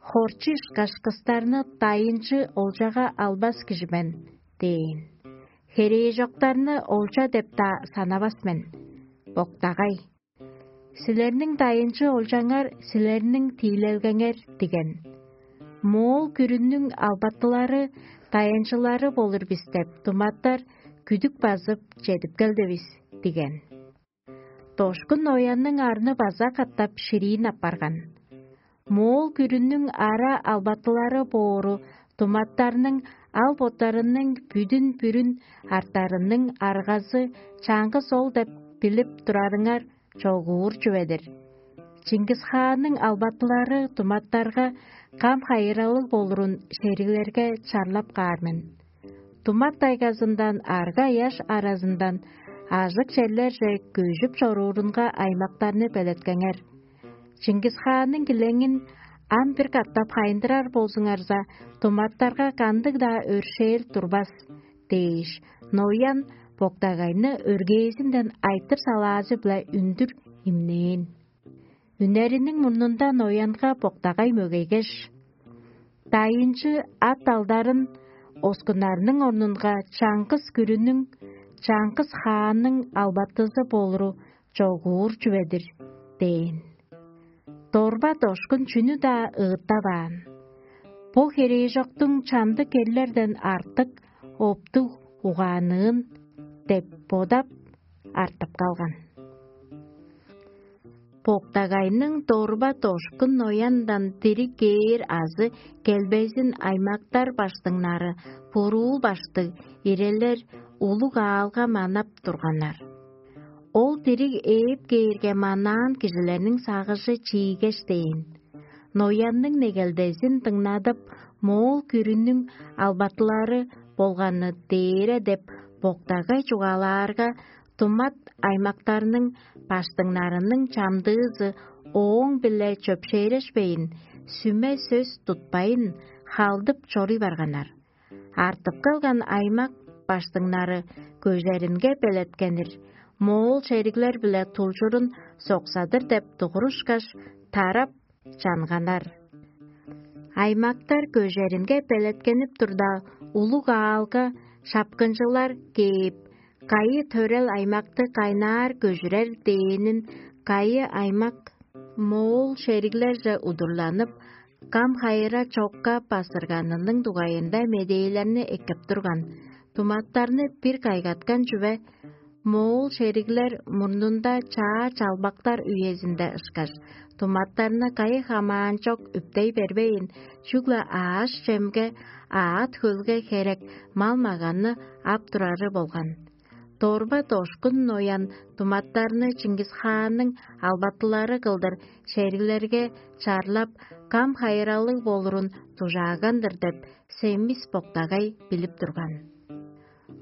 хорчу ышкаш кыстарны дайынчы олчага албас кижи мен» – дээн. «Херээжоктарны олча деп-даа санавас мен. Боктагай, силерниң дайынчы олчаңар силерниң тиилелгеңер диген. Моол күрүнүң албатылары дайынчылары болур бис деп туматтар күдүк базып чедип келдивис диген». Дошкун оянның арны база катап шириин апарган. Моол күрүнүң ара албатылары боору туматтарның ал боттарының бүдүн-бүрүн артарының аргазы чаңгыс ол деп билип турарыңар чогуур чүве-дир. Чингисхаанның албатылары туматтарга кам хайыралыг болурун шериглерге чарлап каар мен. Тумат тайгазындан арга-ыяш аразындан ажык черлерже көжүп чоруурунга аймактарны белеткеңер. Чингисхаанның килеңин ам бир катап хайындырар болзуңарза, туматтарга кандыг-даа өршээл турбас дээш, Ноян боктагайны өргээзинден айтыр салаазы-биле үндүр имнээн. Үнериниң мурнунда Ноянга боктагай мөгейгеш: «Дайынчы ат алдарын оскунарның орнунга чаңгыс күрүнүң, чаңгыс хаанның албатызы болуру чогуур чүве-дир» – дээн. Дорба дошкун чүнү-даа ыыттаваан. Бо херээжоктуң чамдык эрлерден артык оптуг угаанныын деп бодап, артып калган. Боктагайның дорба дошкун нояндан дири кээр азы келбезин аймактар баштыңнары, буруул баштыг ирелер улуг аалга манап турганнар. Ол дириг ээп кээрге, манаан кижилерниң сагыжы чиигеш дээн. Ноянның негелдезин дыңнадып, моол күрүнүң албатылары болганы дээре деп боктагай чугаалаарга, тумат аймактарның баштыңнарының чамдыызы ооң-биле чөпшээрешпейн, сүме сөс тутпайн, халдып чоруй барганнар. Артып калган аймак баштыңнары көжеринге белеткенир, моол шериглер-биле тулчурун соксадыр деп дугурушкаш, тарап чанганнар. Аймактар көжеринге белеткенип турда, улуг аалга шапкынчылар кээп, кайы төрел аймакты кайнаар көжүрер дээнин, кайы аймак моол шериглерже удурланып, кам хайыра чокка басырганының дугайында медээлерни эккеп турган. Туматтарны бир кайгаткан чүве Моол шериглер мурнунда чаа чалбактар үезинде ышкаш, туматтарны кайы хамаан чок үптей бербейн, чүгле ааш-чемге, аът-хөлге херек мал-маганны ап турары болган. Дорба-дошкун ноян туматтарны Чингис-хаанның албатылары кылдыр шериглерге чарлап, кам хайыралыг болурун дужааган-дыр деп, Семис Боктагай билип турган.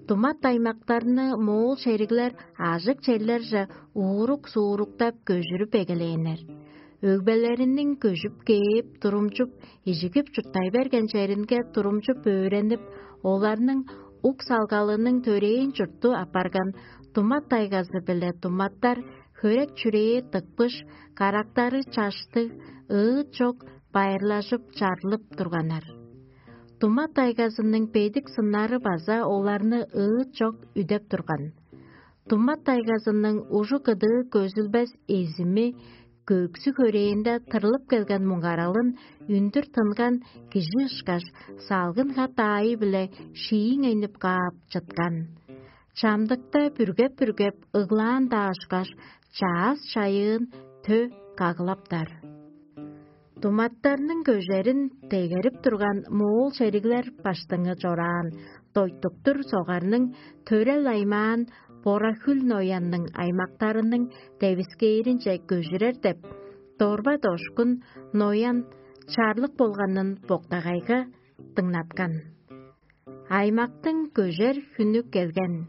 Думат аймактарны моол шериглер ажык черлерже уурук-сууруктап көжүрүп эгелээннер. Өгбелериниң көжүп кээп, турумчуп, ижигип чурттай берген черинге турумчуп өөренип, оларның ук салгалының төрээн чуртту апарган Думат тайгазы-биле думаттар хөрек-чүрээ дыкпыш, карактары чаштыг, ыыт чок, байырлажып, чарлып турганнар. Думат тайгазының бедик сыннары база оларны ыыт чок үдеп турган. Думат тайгазының ужу-кыдыы көзүлбес эзими, көксү-хөрээнде тырлып келген муңгаралын үндүр тынган кижи ышкаш, салгын хат аайы-биле шииңейнип каап чыткан. Чамдыкта бүргеп-бүргеп ыглаан-даа ышкаш, чаъс-чайыын тө кагылаптар. Думаттарның көжерин дегерип турган моол шериглер баштыңы чораан дойтуктур согарның төрел аймаан Бора-Хүл ноянның аймактарының девискээринче көжүрер деп, дорба-дошкун ноян чарлык болганын боктагайга дыңнаткан. Аймактың көжер хүнү келген.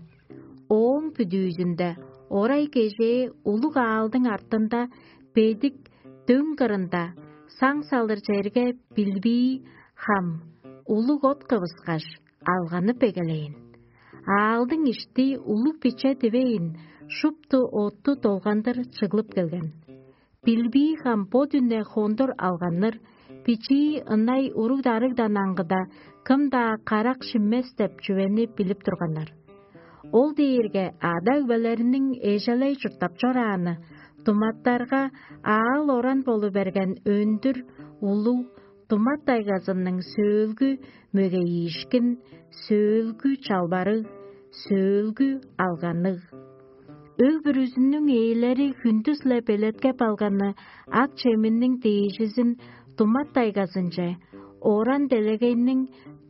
Ооң бүдүүзүнде орай кежээ улуг аалдың артында бедик дөң кырында саң салыр черге билбии хам, улуг от кывыскаш, алганып эгелээн. Аалдың ишти улуг биче дивейн, шупту отту долгандыр чыглып келген. Билбии хам бо дүне хондур алганныр, бичии ынай уруг-дарыгдан аңгыда, кым-даа карак шиммес деп чүвени билип турганнар. Ол дээрге ада-өгбелериниң эжелей чурттап чорааны, думаттарга аал-оран болу берген өндүр, улуг, Думат тайгазының сөөлгү мөгейиишкин, сөөлгү чалбарыг, сөөлгү алганныг. Өг бүрүзүнүң ээлери хүндүс-ле белеткеп алганы ак чеминниң дээжизин Думат тайгазынче, оран делегейниң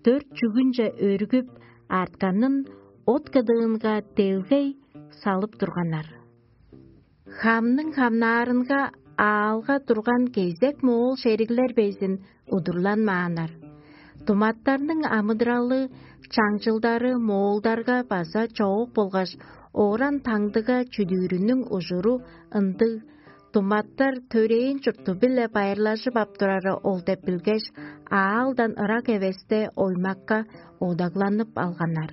дөрт чүгүнче өргүп, артканын от кыдыынга делгей салып турганнар. Хамның хамнаарынга аалга турган кезек моол шериглер безин удурланмааннар. Думаттарның амыдыралы, чаңчылдары моолдарга база чоок болгаш, оран таңдыга чүдүүрүнүң ужуру ындыг. Думаттар төрээн чурту-биле байырлажып ап турары ол деп билгеш, аалдан ырак эвесте оймакка одагланып алганнар.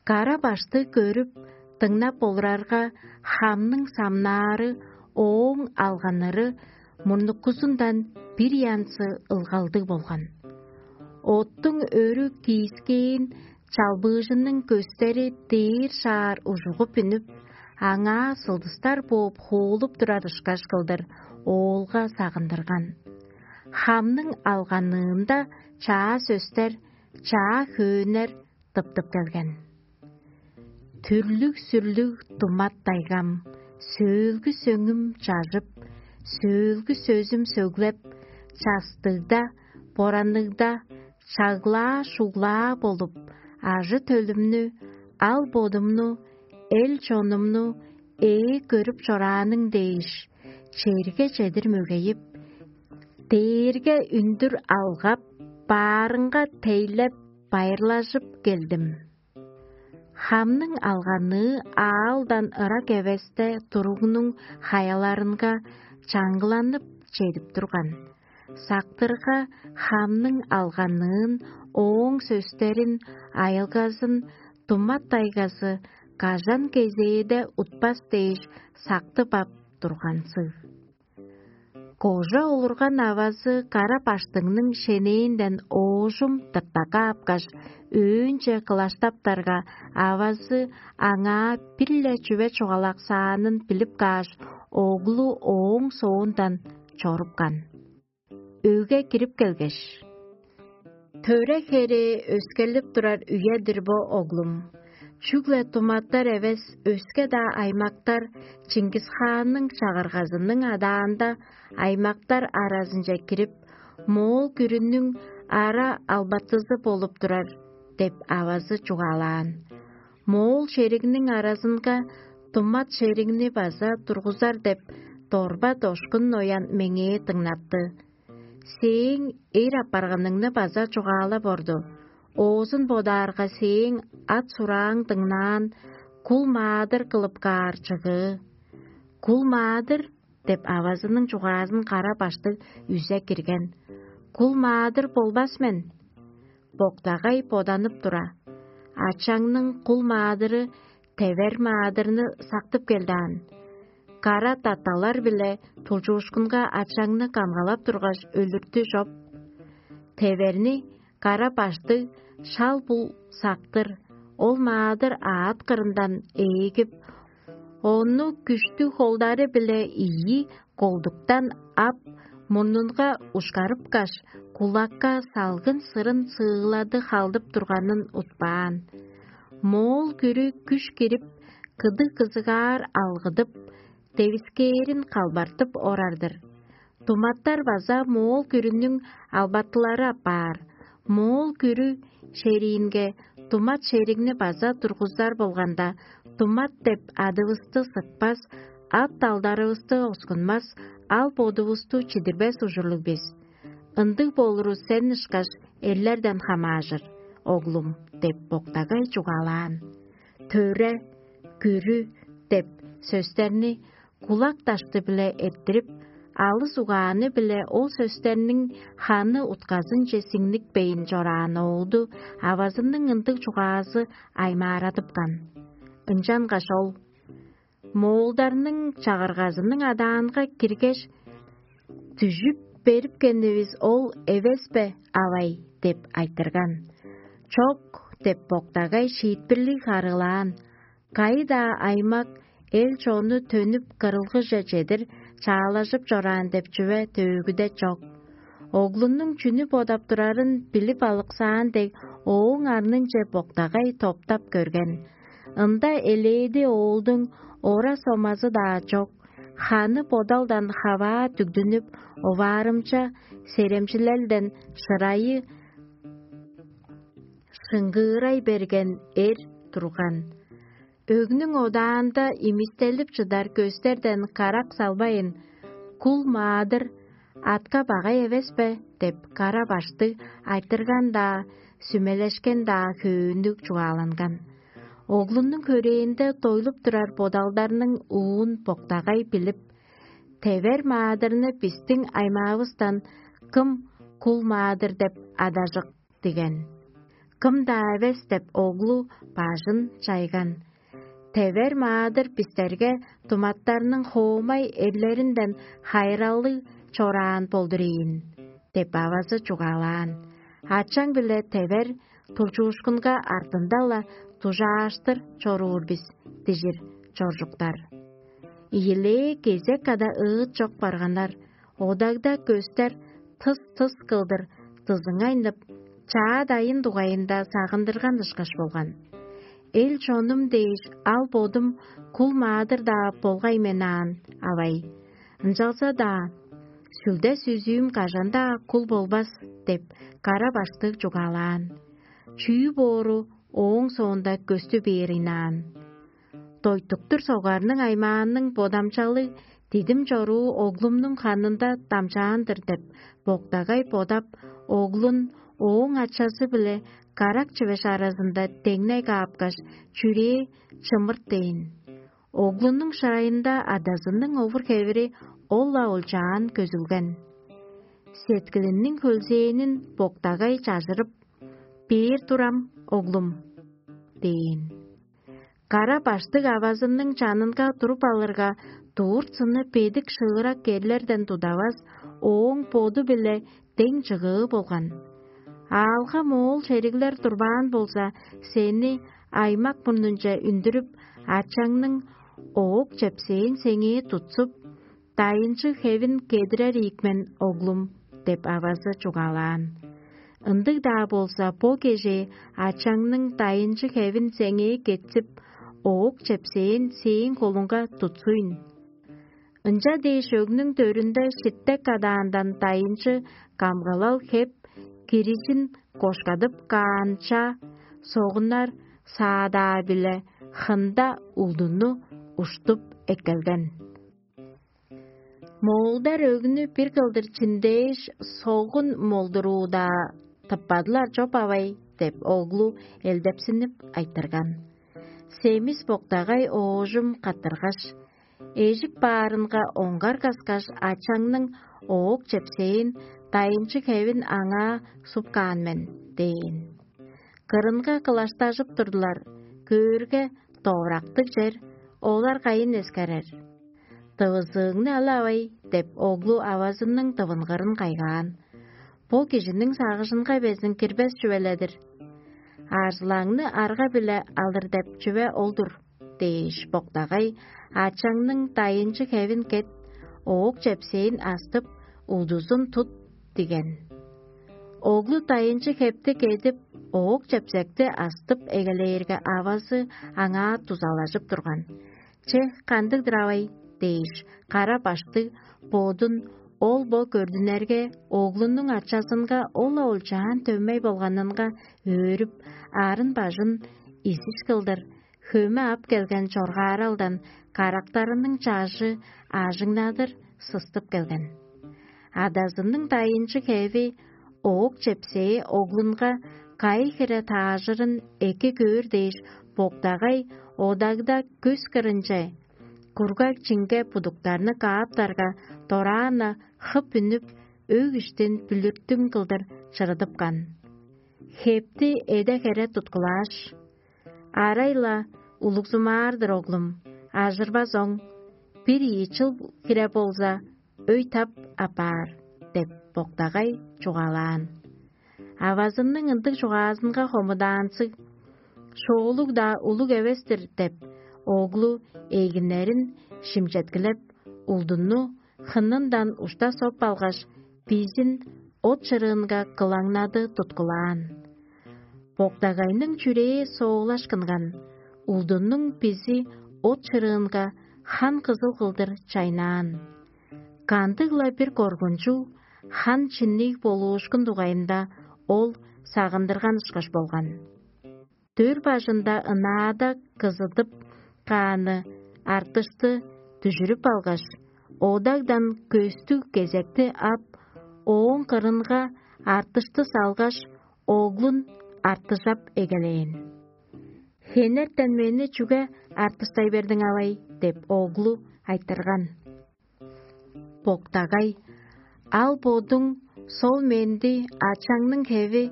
Кара башты көрүп, дыңнап олурарга, хамның самнаары, ооң алганнары мурнуккузундан бир янзы ылгалдыг болган. Оттуң өрү киискээн чалбыыжының көстери дээр шаар ужугуп үнүп, аңаа сылдыстар бооп хуулуп турар ышкаш кылдыр оолга сагындырган. Хамның алганыында чаа сөстер, чаа хөөннер тыптып келген. Түрлүг-сүрлүг думат дайгам, сөөлгү сөңүм чажып, сөөлгү сөзүм сөглеп, частыгда, боранныгда, чаглаа-шуглаа болуп, ажы-төлүмнү, ал-бодумну, эл-чонумну ээ көрүп чорааның дээш, черге чедир мөгейип, дээрге үндүр алгап, баарынга тейлеп, байырлажып келдим. Хамның алганныы аалдан ырак эвесте туругнуң хаяларынга чаңгыланып чедип турган. Сактырга хамның алганныын, ооң сөстерин, айылгазын Думат дайгазы кажан кезээде утпас дээш сактып ап тургансыг. Кожа олурган авазы кара баштыңның шенээнден оожум тыртакка апкаш, өөнче кылаштаптарга, авазы аңаа бир-ле чүве чугаалаксаанын билип кааш, оглу ооң соондан чорупкан. Өге кирип келгеш: «Төре херээ өскелип турар үе-дир бо, оглум. Чүгле туматтар эвес, өске-даа аймактар Чингис-хаанның чагыргазының адаанда аймактар аразынче кирип, моол күрүнүң ара албатызы болуп турар» – деп авазы чугаалаан. Моол шеригниң аразынга тумат шеригни база тургузар деп дорба дошкун ноян меңээ дыңнатты. Сээң эр апарганыңны база чугаалап орду. Оозун бодаарга, сээң ат сурааң дыңнаан, кул маадыр кылып каар чыгыы. «Кул маадыр» – деп авазының чугаазын кара баштыг үзе кирген. «Кул маадыр болбас мен». Боктагай боданып тура: «Ачаңның кул маадыры тевер маадырны сактып келдаан. Кара таталар-биле тулчуушкунга ачаңны камгалап тургаш, өлүртү чоп. Теверни кара баштыг шал-бул сактыр, ол маадыр аът кырындан ээгип, ону күштүг холдары-биле ийи колдуктан ап, мурнунга ушкарыпкаш, кулакка салгын сырын сыылады халдып турганын утпаан. Моол күрү күш кирип, кыдыг-кызыгаар алгыдып, девискээрин калбартып орар-дыр. Туматтар база моол күрүнүң албатылары апаар. Моол күрү шериинге тумат шеригни база тургузар болганда, тумат деп адывысты сыкпас, ат-далдарывысты оскунмас, ал-бодувусту чидирбес ужурлуг бис. Ындыг болуру сен ышкаш эрлерден хамаажыр, оглум» – деп боктагай чугаалаан. «Төре», «күрү» деп сөстерни кулак дашты-биле эрттирип, алыс угааны-биле ол сөстерниң ханы утказынче сиңникпейн чораан оолду авазының ындыг чугаазы аймаарадыпкан. Ынчангаш ол: «Моолдарның чагыргазының адаанга киргеш, дүжүп берипкенивис ол эвес бе, авай?» – деп айтырган. «Чок» – деп боктагай шиитпирлиг харыылаан. Кайы-даа аймак эл-чонну төнүп, кырылгыже чедир чаалажып чораан деп чүве төөгүде чок. Оглунуң чүнү бодап турарын билип алыксаан дег, ооң арнынче боктагай топтап көрген. Ында элээди оолдуң ора-сомазы-даа чок, ханы бодалдан хаваа дүгдүнүп, оваарымча серемчилелден шырайы шыңгыырай берген эр турган. Өгнүң одаанда имистелип чыдар көстерден карак салбайн: «Кул маадыр атка багай эвес бе?» – деп кара баштыг айтырган-даа, сүмелешкен-даа хөөннүг чугааланган. Оглунуң хөрээнде дойлуп турар бодалдарның уун боктагай билип: «Тевер маадырны бистиң аймаавыстан кым кул маадыр деп адажык?» – диген. «Кым-даа эвес» – деп оглу бажын чайган. «Тевер маадыр бистерге туматтарның хоомай эрлеринден хайыралыг чораан болдур ийин» – деп авазы чугаалаан. «Ачаң-биле тевер тулчуушкунга артында-ла дужааштыр чоруур бис дижир чоржуктар». Ийилээ кезек када ыыт чок барганнар, одагда көстер тыс-тыс кылдыр дызыңайнып, чаа дайын дугайында сагындырган ышкаш болган. «Эл-чонум дээш ал-бодум кул маадыр-даа болгай мен аан, авай. Ынчалза-даа сүлде-сүзүүм кажан-даа кул болбас» – деп кара баштыг чугаалаан. Чүү боору ооң соонда көстү бээр ыйнаан. Дойтуктур согарның аймааның бодамчалыг дидим чоруу оглумнуң ханында дамчаан-дыр деп боктагай бодап, оглун ооң ачазы-биле карак чивеш аразында деңней каапкаш, чүрээ чымырт дээн. Оглунуң шырайында адазының овур-хевири ол-ла олчаан көзүлген. Сеткилиниң хөлзээнин боктагай чажырып: «Бээр турам, оглум» – дээн. Кара баштыг авазының чанынга туруп алырга, дурт-сыны бедик шыырак эрлерден тудавас, ооң боду-биле дең чыгыы болган. «Аалга моол шериглер турбаан болза, сени аймак мурнунче үндүрүп, ачаңның оок чепсээн сеңээ тутсуп, дайынчы хевин кедирер ийик мен, оглум» – деп авазы чугаалаан. Ындыг-даа болза, бо кежээ ачаңның дайынчы хевин сеңээ кетсип, оок чепсээн сээң холуңга тутсуйн. Ынча дээш өгнүң төрүнде шиттек кадаандан дайынчы камгалал хеп, кирижин кошкадып каанча, согуннар саадаа-биле хында улдуну уштуп эккелген. Моолдар өгнү бир кылдыр чиндээш, согун молдуруудаа тыппадылар чоп авай деп, оглу элдепсинип айтырган. Семис боктагай оожум каттыргаш, эжип баарынга оңгар каскаш, ачаңның оок чепсээн дайынчы хевин аңаа суп каан мен дээн. Кырынга кылаштажып турдулар, көөрге, довурактыг чер, олар кайын эскерер? Дывызыыңны алавай деп, оглу авазының дывынгырын кайгаан. Бо кижиниң сагыжынга безин кирбес чүвеледир. Арзылаңны арга-биле алыр деп чүве ол-дур дээш, боктагай ачаңның дайынчы хевин кет, оок чепсээн астып, удузун тут диген. Оглу дайынчы хепти кедип, оок чепсекти астып эгелээрге, авазы аңаа дузалажып турган. Че, кандыг-дыр авай дээш, кара баштыг бодун ол-бо көрдүнерге, оглунуң ачазынга ол-ла олчаан дөмей болганынга өөрүп, арын-бажын изиш кылдыр, хөме ап келген чоргааралдан карактарының чажы аажыңнадыр сыстып келген. Адазының дайынчы хеви оок чепсээ оглунга кайы хире таажырын эки көөр дээш, боктагай одагда көс кырынче, кургаг чинге будуктарны кааптарга, дораан-на хып үнүп, өг иштин бүлүртүң кылдыр чырыдыпкан. Хепти эде-хере туткулааш: «Арай-ла улугзумаар-дыр, оглум, ажырбас оң, бир ийи чыл хире болза, өй тап апаар» — деп, боктагай чугаалаан. Авазының ындыг чугаазынга хомудаанзыг: «Шоолуг-даа улуг эвес-тир» — деп, оглу эгиннерин шимчеткилеп, улдунну хынындан ушта соп алгаш, бизин от чырыынга кылаңнады туткулаан. Боктагайның чүрээ соолашкынган, улдуннуң бизи от чырыынга хан кызыл кылдыр чайнаан. Кандыг-ла бир коргунчуг, хан чинниг болуушкун дугайында ол сагындырган ышкаш болган. Дөр бажында ынаада кызыдып кааны артышты дүжүрүп алгаш, одагдан көстүг кезекти ап, ооң кырынга артышты салгаш, оглун артыжап эгелээн. «Хенертен мени чүге артыштай бердиң, авай?» — деп, оглу айтырган. Боктагай: «Ал бодуң сол менди ачаңның хеви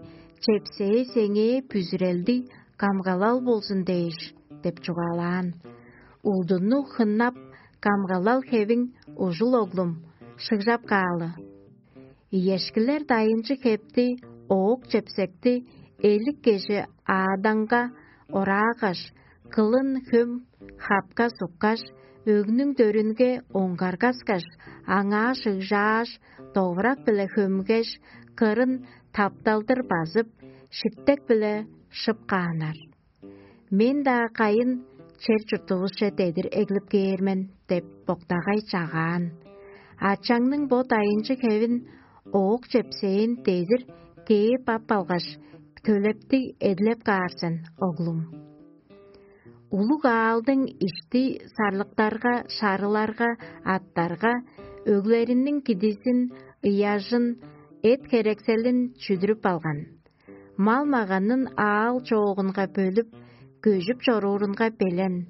чепсээ сеңээ бүзүрелдиг камгалал болзун дээш» — деп чугаалаан. Улдунну хыннап, камгалал хевиң ужул, оглум, шыгжап каалы. Иешкилер дайынчы хепти, оок чепсекти элик кежи ааданга ораагаш, кылын хөм хапка суккаш, өгнүң дөрүнге оңгаргаскаш, аңаа шыгжааш, довурак-биле хөмгеш, кырын тапталдыр базып, шиттек-биле шып кааннар. «Мен-даа кайын чер-чуртувусче дедир эглип кээр мен» — деп, боктагай чагаан. «Ачаңның бо дайынчы хевин, оок чепсээн дедир кээп ап алгаш, төлептиг эдилеп каар сен, оглум. Улуг аалдың ишти сарлыктарга, шарыларга, аттарга, өглериниң кидизин, ыяжын, эт-херекселин чүдүрүп алган. Мал-маганын аал чоогунга бөлүп, көжүп чоруурунга белен.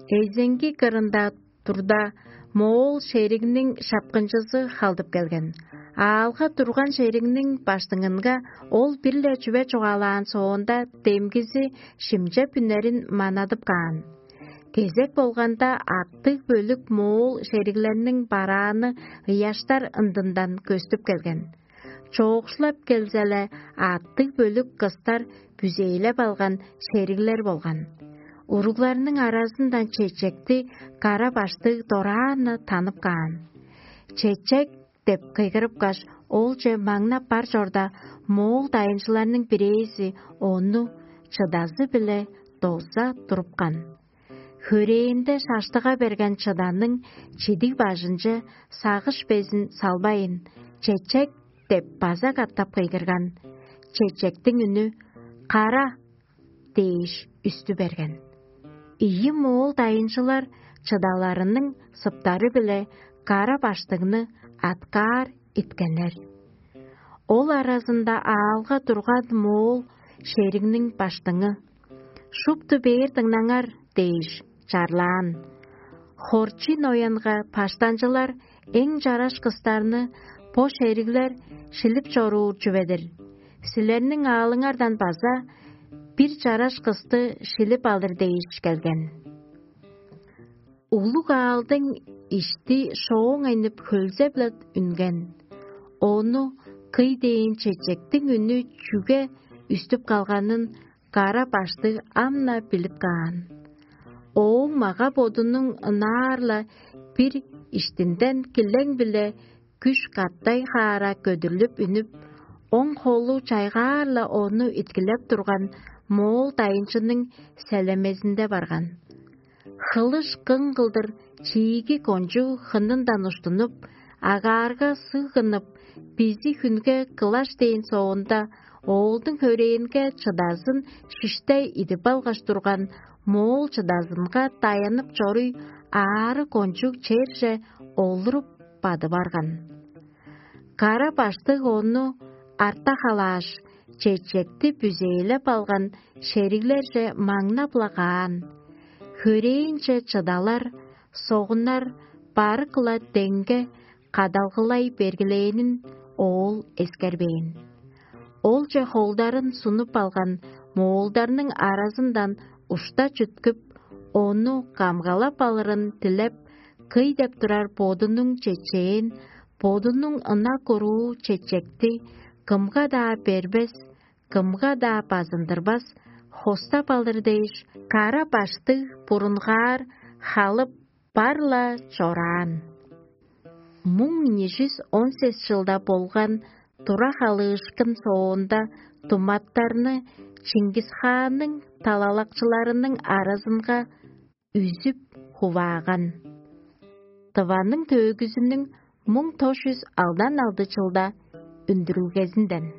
Эзеңги кырында турда, моол шеригниң шапкынчызы халдып келген. Аалга турган шеригниң баштыңынга ол бир-ле чүве чугаалаан соонда, демгизи шимчеп үнерин манадып каан. Кезек болганда, аттыг бөлүк моол шериглерниң барааны ыяштар ындындан көстүп келген. Чоокшулап келзе-ле, аттыг бөлүк кыстар бүзээлеп алган шериглер болган. Уругларның аразындан чечекти кара баштыг дораан-на танып каан. Чечек деп кыйгырыпкаш, оолче маңнап бар чорда, моол дайынчыларның бирээзи ону чыдазы-биле доза турупкан. Хөрээнде шаштыга берген чыданың чидиг бажынче сагыш безин салбайн, «Чечек» деп база катап кыйгырган. Чечектиң үнү «Кара» дээш үстү берген. Ийи моол дайынчылар чыдаларының сыптары-биле кара баштыгны аткаар иткеннер. Ол аразында аалга турган моол шеригниң баштыңы: «Шупту бээр дыңнаңар» дээш чарлаан. Хорчий ноянга баштанчылар эң чараш кыстарны бо шериглер шилип чоруур чүве-дир. Силерниң аалыңардан база бир чараш кысты шилип алыр дээш келген. Улуг аалдың ишти шооңайнып хөлзе-биле үнген. Ону кый дээн чечектиң үнү чүге үстүп калганын кара баштыг ам-на билип каан. Ооң мага-бодунуң ынаар-ла бир иштинден килең-биле күш катай хаара көдүрлүп үнүп, оң холу чайгаар-ла ону иткилеп турган моол дайынчының селемезинде барган. Хылыш кың кылдыр чииги кончуг хынындан уштунуп, агаарга сыг кынып, бизи хүнге кылаш дээн соонда, оолдуң хөрээнге чыдазын шиште идип алгаш турган моол чыдазынга даянып чоруй, аары кончуг черже олуруп бадып арган. Кара баштыг ону арта халааш, чечекти бүзээлеп алган шериглерже маңнап-ла каан. Хөрээнче чыдалар, согуннар барык-ла деңге кадалгылай бергилээнин оол эскербээн. Олче холдарын сунуп алган моолдарның аразындан ушта чүткүп, ону камгалап алырын дилеп, кый деп турар бодунуң чечээн, бодунуң ынак уруу чечекти кымга-даа бербес, кымга-даа базындырбас, хостап алыр дээш, кара баштыг бурунгаар халып бар-ла чораан. Муң ийи чүс он сес чылда болган тура халыышкын соонда туматтарны Чингис-хаанның талалакчыларының аразынга үзүп хувааган. Тываның төөгүзүнүң муң тос чүс алдан алды чылда үндүрүлгезинден.